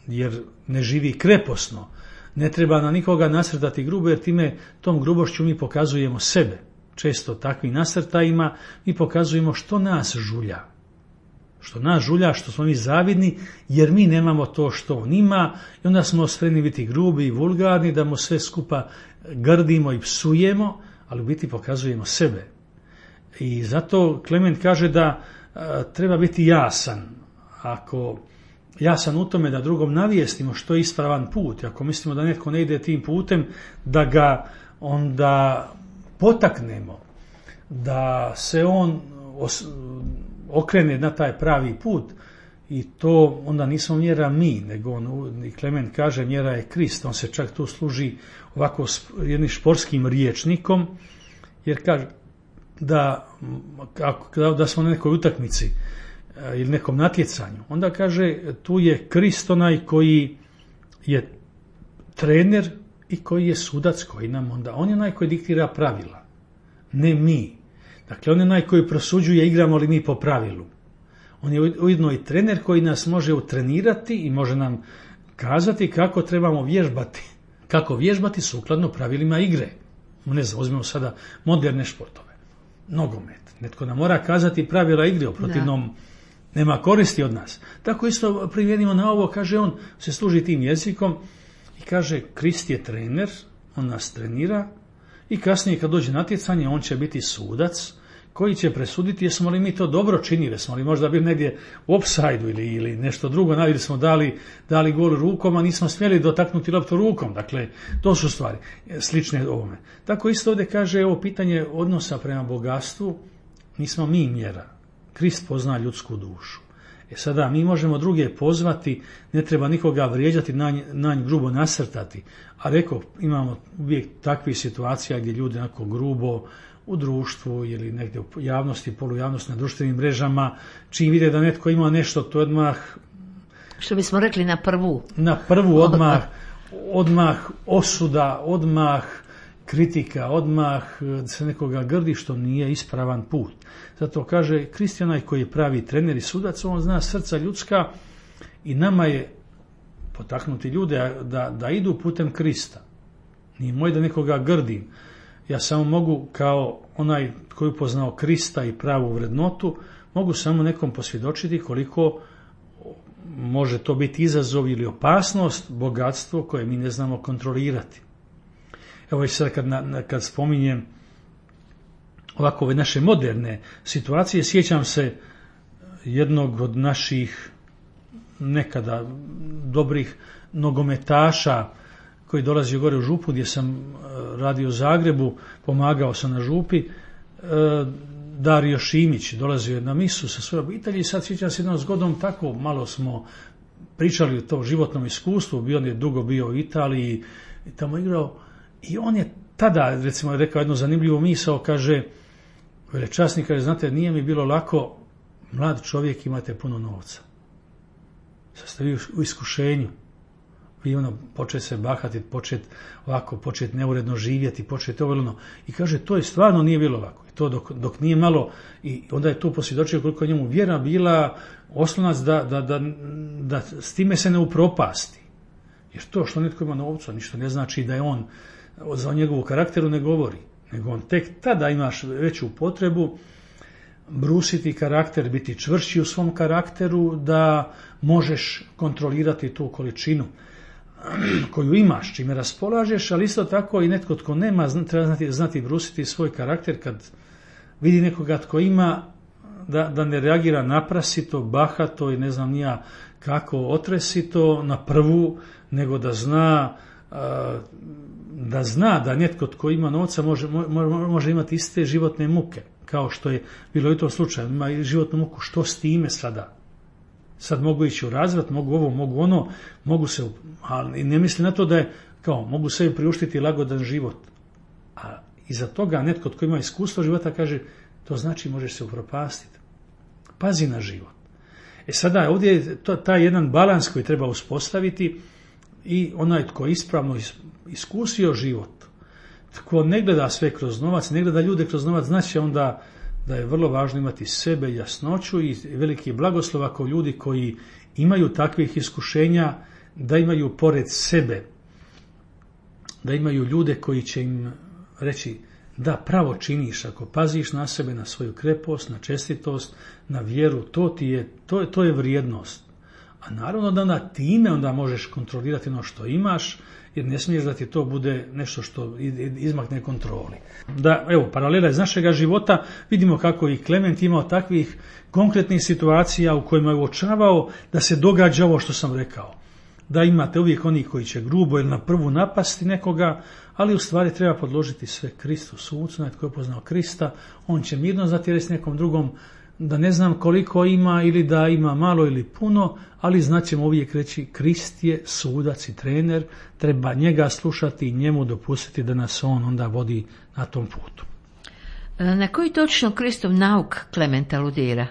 jer ne živi kreposno. Ne treba na nikoga nasrtati grubo, jer time tom grubošću mi pokazujemo sebe. Često takvim nasrtajima mi pokazujemo što nas žulja. Što nas žulja, što smo mi zavidni, jer mi nemamo to što on ima i onda smo spremni biti grubi i vulgarni, da mu sve skupa grdimo i psujemo, ali u biti pokazujemo sebe. I zato Klement kaže da a, treba biti jasan. Ako jasan u tome da drugom navijestimo što je ispravan put, ako mislimo da netko ne ide tim putem, da ga onda potaknemo, da se on os, okrene na taj pravi put, i to onda nismo mjera mi, nego on, i Klement kaže, mjera je Krist. On se čak tu služi ovako jednim športskim riječnikom, jer kaže da, ako, da smo na nekoj utakmici ili nekom natjecanju, onda kaže tu je Krist onaj koji je trener i koji je sudac, koji nam onda, on je onaj koji diktira pravila, ne mi. Dakle, on je onaj koji prosuđuje igramo li mi po pravilu. On je ujedno i trener koji nas može utrenirati i može nam kazati kako trebamo vježbati, kako vježbati sukladno pravilima igre. Ne znam, uzmemo sada moderne športove, nogomet. Netko nam mora kazati pravila igre, u protivnom nema koristi od nas. Tako isto primijenimo na ovo, kaže on, se služi tim jezikom i kaže Krist je trener, on nas trenira i kasnije kad dođe natjecanje on će biti sudac koji će presuditi jesmo li mi to dobro činili, smo li možda bili negdje u opsajdu ili, ili nešto drugo, ili smo dali, dali gol rukom, a nismo smjeli dotaknuti loptu rukom. Dakle, to su stvari slične ovome. Tako isto ovdje kaže ovo pitanje odnosa prema bogatstvu, nismo mi mjera. Krist pozna ljudsku dušu. E sada mi možemo druge pozvati, ne treba nikoga vrijeđati, na nj, na nj grubo nasrtati. A rekao, imamo uvijek takvih situacija gdje ljudi onako grubo u društvu ili negdje u javnosti, polujavnosti, na društvenim mrežama, čim vide da netko ima nešto, to odmah... Što bismo rekli na prvu. Na prvu odmah, odmah osuda, odmah kritika, odmah se nekoga grdi, što nije ispravan put. Zato kaže Krist je onaj koji je pravi trener i sudac, on zna srca ljudska i nama je potaknuti ljude da, da idu putem Krista. Nije moj da nekoga grdim. Ja samo mogu, kao onaj koji upoznao Krista i pravu vrednotu, mogu samo nekom posvjedočiti koliko može to biti izazov ili opasnost, bogatstvo koje mi ne znamo kontrolirati. Evo i sad kad, kad spominjem ovako ove naše moderne situacije, sjećam se jednog od naših nekada dobrih nogometaša koji dolazi gore u Župu gdje sam radio u Zagrebu, pomagao sam na Župi. Dario Šimić dolazio je na misu sa svojom obitelji i sad sjećam se jednom zgodom, tako malo smo pričali o tom životnom iskustvu, bio on je dugo bio u Italiji i tamo igrao i on je tada, recimo, je rekao jednu zanimljivu misao, kaže, velečasnik, kaže, znate, nije mi bilo lako, mlad čovjek, imate puno novca. Sad ste vi u iskušenju. Vi ono, počet se bahati, počet ovako, počet neuredno živjeti, počet ovo ono. I kaže, to je stvarno nije bilo lako. I to dok, dok nije malo, i onda je tu posvjedočio koliko njemu vjera bila oslonac da, da, da, da s time se ne upropasti. Jer to što netko ima novca, ništa ne znači da je on, za njegovu karakteru ne govori. Nego on tek tada imaš veću potrebu brusiti karakter, biti čvršći u svom karakteru, da možeš kontrolirati tu količinu koju imaš, čime raspolažeš, ali isto tako i netko tko nema, treba znati, znati brusiti svoj karakter kad vidi nekoga tko ima, da, da ne reagira naprasito, bahato i ne znam nija kako otresito na prvu, nego da zna da zna da netko tko ima novca može, može imati iste životne muke, kao što je bilo i u tom slučaju. Ima i životnu muku, što s time sada? Sad mogu ići u razvrat, mogu ovo, mogu ono, mogu se, ali ne misli na to da je, kao, mogu sebi priuštiti lagodan život. A iza toga netko tko ima iskustvo života kaže, to znači možeš se upropastiti. Pazi na život. E sada, ovdje je to, taj jedan balans koji treba uspostaviti i onaj tko ispravno iskusio život, tko ne gleda sve kroz novac, ne gleda ljude kroz novac, znači onda da je vrlo važno imati sebe, jasnoću i veliki blagoslov ako ljudi koji imaju takvih iskušenja, da imaju pored sebe, da imaju ljude koji će im reći da pravo činiš ako paziš na sebe, na svoju krepost, na čestitost, na vjeru, to ti je, to, to je vrijednost. A naravno da na time onda možeš kontrolirati ono što imaš, jer ne smiješ da ti to bude nešto što izmakne kontroli. Da, evo, paralela iz našega života, vidimo kako i Klement imao takvih konkretnih situacija u kojima je uočavao da se događa ovo što sam rekao. Da imate uvijek oni koji će grubo ili na prvu napasti nekoga, ali u stvari treba podložiti sve Kristu, sucu, onaj tko je poznao Krista, on će mirno zatjerati s nekom drugom, da ne znam koliko ima ili da ima malo ili puno, ali znaćemo uvijek reći Krist je sudac i trener, treba njega slušati i njemu dopustiti da nas on onda vodi na tom putu. Na koji točno Kristov nauk Klement aludira?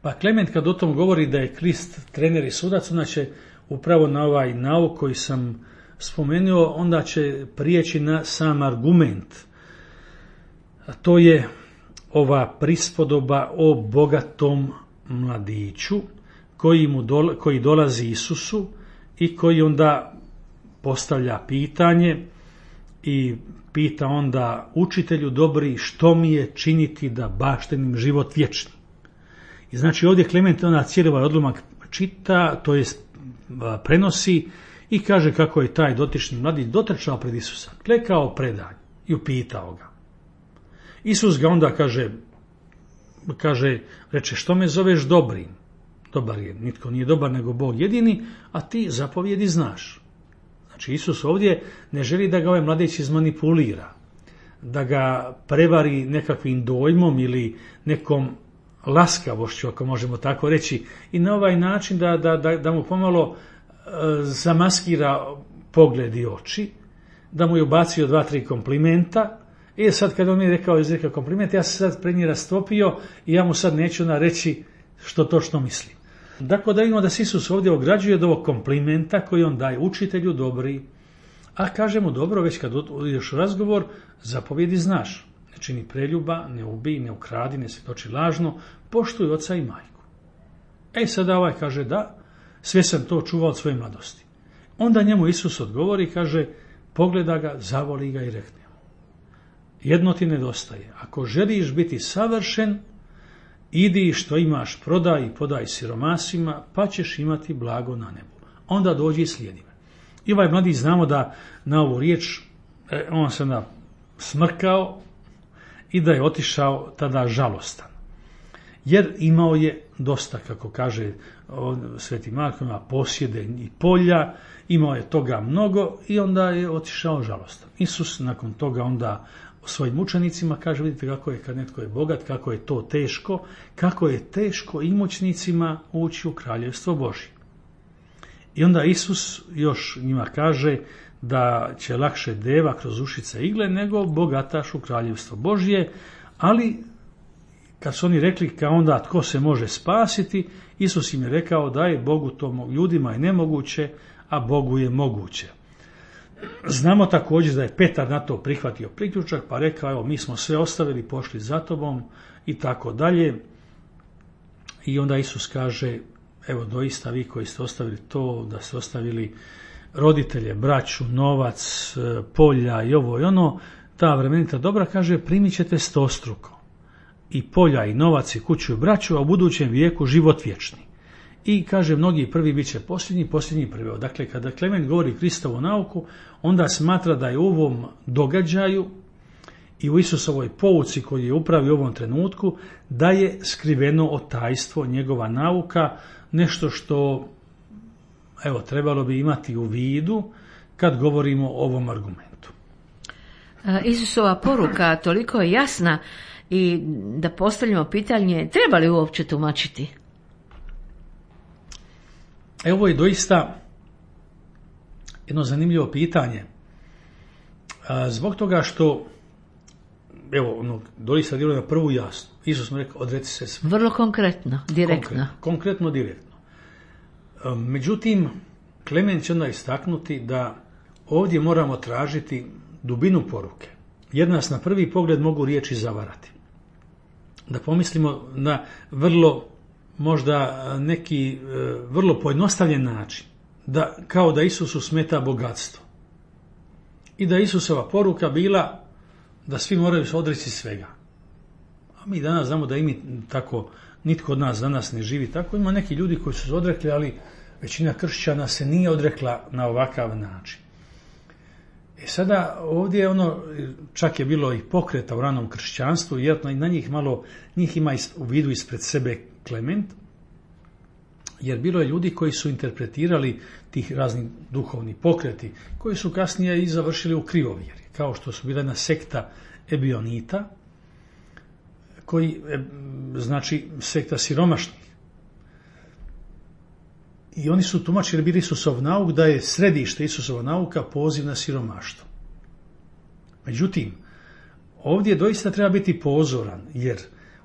Pa Klement kad o tom govori da je Krist trener i sudac, onda će upravo na ovaj nauk koji sam spomenuo, onda će prijeći na sam argument. A to je ova prispodoba o bogatom mladiću koji, mu dole, koji dolazi Isusu i koji onda postavlja pitanje i pita onda učitelju dobri što mi je činiti da baštenim život vječni. I znači ovdje Klement ona cijeli ovaj odlomak čita, to jest prenosi i kaže kako je taj dotični mladić dotrčao pred Isusa, klekao predanj i upitao ga. Isus ga onda kaže, kaže, reče, što me zoveš dobrim? Dobar je, nitko nije dobar nego Bog jedini, a ti zapovjedi znaš. Znači Isus ovdje ne želi da ga ovaj mladić izmanipulira, da ga prevari nekakvim dojmom ili nekom laskavošću, ako možemo tako reći, i na ovaj način da, da, da, da mu pomalo e, zamaskira pogled i oči, da mu je ubacio dva, tri komplimenta. I sad kad on mi je rekao izrekao kompliment, ja se sad pred njih rastopio i ja mu sad neću na reći što točno mislim. Dakle, da vidimo da se Isus ovdje ograđuje od ovog komplimenta koji on daje učitelju dobri, a kaže mu dobro, već kad ideš u razgovor, zapovjedi znaš. Ne čini preljuba, ne ubij, ne ukradi, ne svjedoči lažno, poštuj oca i majku. E sada ovaj kaže da, sve sam to čuvao od svoje mladosti. Onda njemu Isus odgovori i kaže, pogleda ga, zavoli ga i rekne. Jedno ti nedostaje. Ako želiš biti savršen, idi što imaš, prodaj i podaj siromasima, pa ćeš imati blago na nebu. Onda dođi i slijedi me. I ovaj mladić znamo da na ovu riječ on se smrkao i da je otišao tada žalostan. jer imao je dosta, kako kaže Sveti Marko, ima posjede i polja, imao je toga mnogo i onda je otišao žalostan. Isus nakon toga onda svojim učenicima kaže, vidite kako je kad netko je bogat, kako je to teško, kako je teško imućnicima ući u kraljevstvo Božje. I onda Isus još njima kaže da će lakše deva kroz ušice igle nego bogataš u kraljevstvo Božje, ali kad su oni rekli kao onda tko se može spasiti, Isus im je rekao da je Bogu to, ljudima je nemoguće, a Bogu je moguće. Znamo također da je Petar na to prihvatio priključak, pa rekao, evo mi smo sve ostavili, pošli za tobom i tako dalje. I onda Isus kaže, evo doista vi koji ste ostavili to, da ste ostavili roditelje, braću, novac, polja i ovo i ono, ta vremenita dobra, kaže, primit ćete stostruko. I polja i novac i kuću i braću, a u budućem vijeku život vječni. I kaže, mnogi prvi bit će posljednji, posljednji prvi. Dakle, kada Klement govori Kristovu nauku, onda smatra da je u ovom događaju i u Isusovoj pouci koji je upravi u ovom trenutku, da je skriveno otajstvo, njegova nauka, nešto što, evo, trebalo bi imati u vidu kad govorimo o ovom argumentu. Isusova poruka toliko je jasna i da postavljamo pitanje, treba li uopće tumačiti? Evo, ovo je doista jedno zanimljivo pitanje. Zbog toga što, evo, ono, doista djeluje na prvu jasno. Isus mu rekao, odreci se sve. Vrlo konkretno, direktno. Konkretno, konkretno direktno. Međutim, Klement će onda istaknuti da ovdje moramo tražiti dubinu poruke, jer nas na prvi pogled mogu riječi zavarati. Da pomislimo na vrlo, možda neki vrlo pojednostavljen način, da kao da Isusu smeta bogatstvo i da Isusova poruka bila da svi moraju se odreći svega. A mi danas znamo da i mi tako, nitko od nas danas ne živi tako. Ima neki ljudi koji su se odrekli, ali većina kršćana se nije odrekla na ovakav način. E sada ovdje ono, čak je bilo i pokreta u ranom kršćanstvu, jer na njih malo, njih ima u vidu ispred sebe Klement, jer bilo je ljudi koji su interpretirali tih raznih duhovnih pokreti, koji su kasnije i završili u krivovjeri, kao što su bila jedna sekta Ebionita, koji, znači, sekta siromašnih. I oni su tumačili bili Isusov nauk da je središte Isusova nauka poziv na siromaštvo. Međutim, ovdje doista treba biti pozoran, jer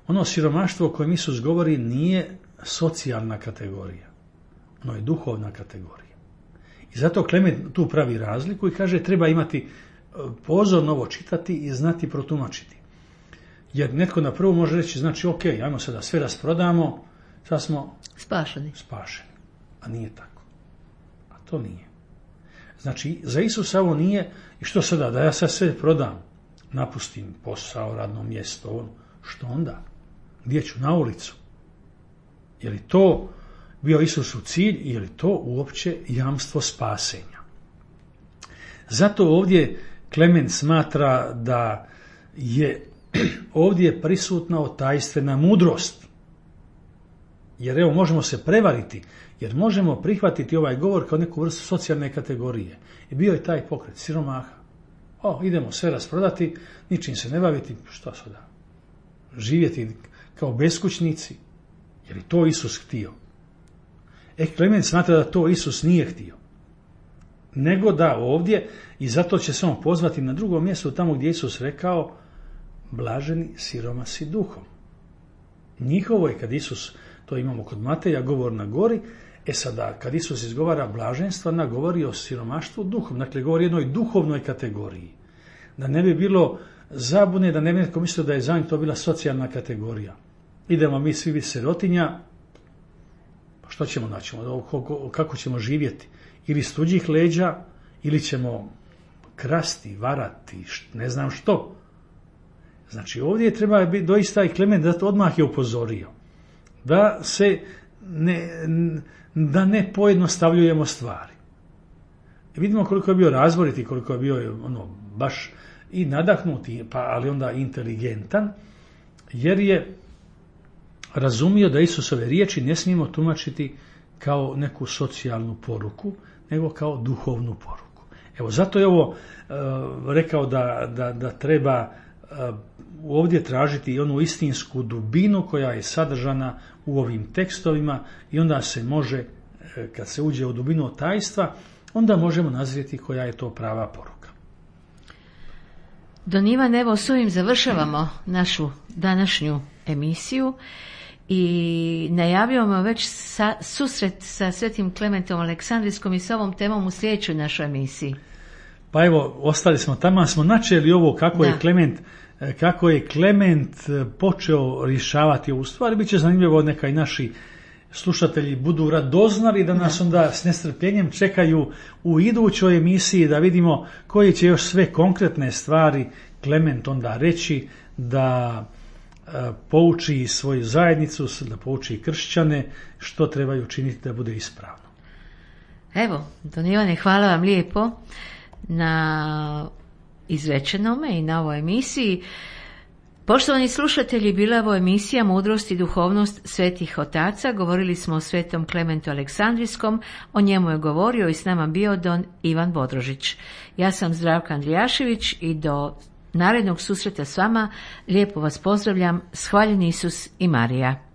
ono siromaštvo o kojem Isus govori nije socijalna kategorija. Ono je duhovna kategorija. I zato Klement tu pravi razliku i kaže treba imati pozorno ovo čitati i znati protumačiti. Jer netko na prvu može reći, znači ok, ajmo sada sve rasprodamo, sad smo spašeni. spašeni. A nije tako. A to nije. Znači, za Isusa ovo nije, i što sada, da ja sad sve prodam, napustim posao, radno mjesto, ono, što onda? Gdje ću? Na ulicu? Je li to bio Isusu cilj, je li to uopće jamstvo spasenja? Zato ovdje Klement smatra da je ovdje prisutna otajstvena mudrost. Jer evo, možemo se prevariti, jer možemo prihvatiti ovaj govor kao neku vrstu socijalne kategorije. I bio je taj pokret siromaha. O, idemo sve rasprodati, ničim se ne baviti, što sada? Živjeti kao beskućnici. Je li to Isus htio? E, Klement smatra da to Isus nije htio. Nego da ovdje, i zato će se on pozvati na drugom mjestu, tamo gdje Isus rekao, blaženi siromasi duhom. Njihovo je, kad Isus, to imamo kod Mateja, govor na gori, e sada, kad Isus izgovara blaženstva, ona govori o siromaštvu duhom. Dakle, govori o jednoj duhovnoj kategoriji. Da ne bi bilo zabune, da ne bi netko mislio da je za njih to bila socijalna kategorija. Idemo mi svi biti sirotinja, pa što ćemo naći? Kako ćemo živjeti? Ili s tuđih leđa, ili ćemo krasti, varati, ne znam što. Znači, ovdje treba biti doista i Klement da to odmah je upozorio. Da se ne, da ne pojednostavljujemo stvari. I vidimo koliko je bio razboriti, koliko je bio ono, baš i nadahnuti, pa ali onda inteligentan, jer je razumio da Isusove riječi ne smijemo tumačiti kao neku socijalnu poruku, nego kao duhovnu poruku. Evo, zato je ovo e, rekao da, da, da treba e, ovdje tražiti onu istinsku dubinu koja je sadržana u ovim tekstovima i onda se može, e, kad se uđe u dubinu tajstva, onda možemo nazrijeti koja je to prava poruka. Don Ivan, evo s ovim završavamo našu današnju emisiju i najavljujemo već sa, susret sa Svetim Klementom Aleksandrijskom i sa ovom temom u sljedećoj našoj emisiji. Pa evo, ostali smo tamo, smo načeli ovo kako da. je Klement kako je Klement počeo rješavati ovu stvar. Biće zanimljivo, neka i naši slušatelji budu radoznali da nas onda s nestrpljenjem čekaju u idućoj emisiji da vidimo koje će još sve konkretne stvari Klement onda reći, da pouči svoju zajednicu, da pouči kršćane što trebaju učiniti da bude ispravno. Evo, Don Ivane, hvala vam lijepo na izrečenome i na ovoj emisiji. Poštovani slušatelji, bila je ovo emisija Mudrost i duhovnost svetih otaca. Govorili smo o Svetom Klementu Aleksandrijskom, o njemu je govorio i s nama bio Don Ivan Bodrožić. Ja sam Zdravka Andrijašević i do narednog susreta s vama lijepo vas pozdravljam. Shvaljen Isus i Marija.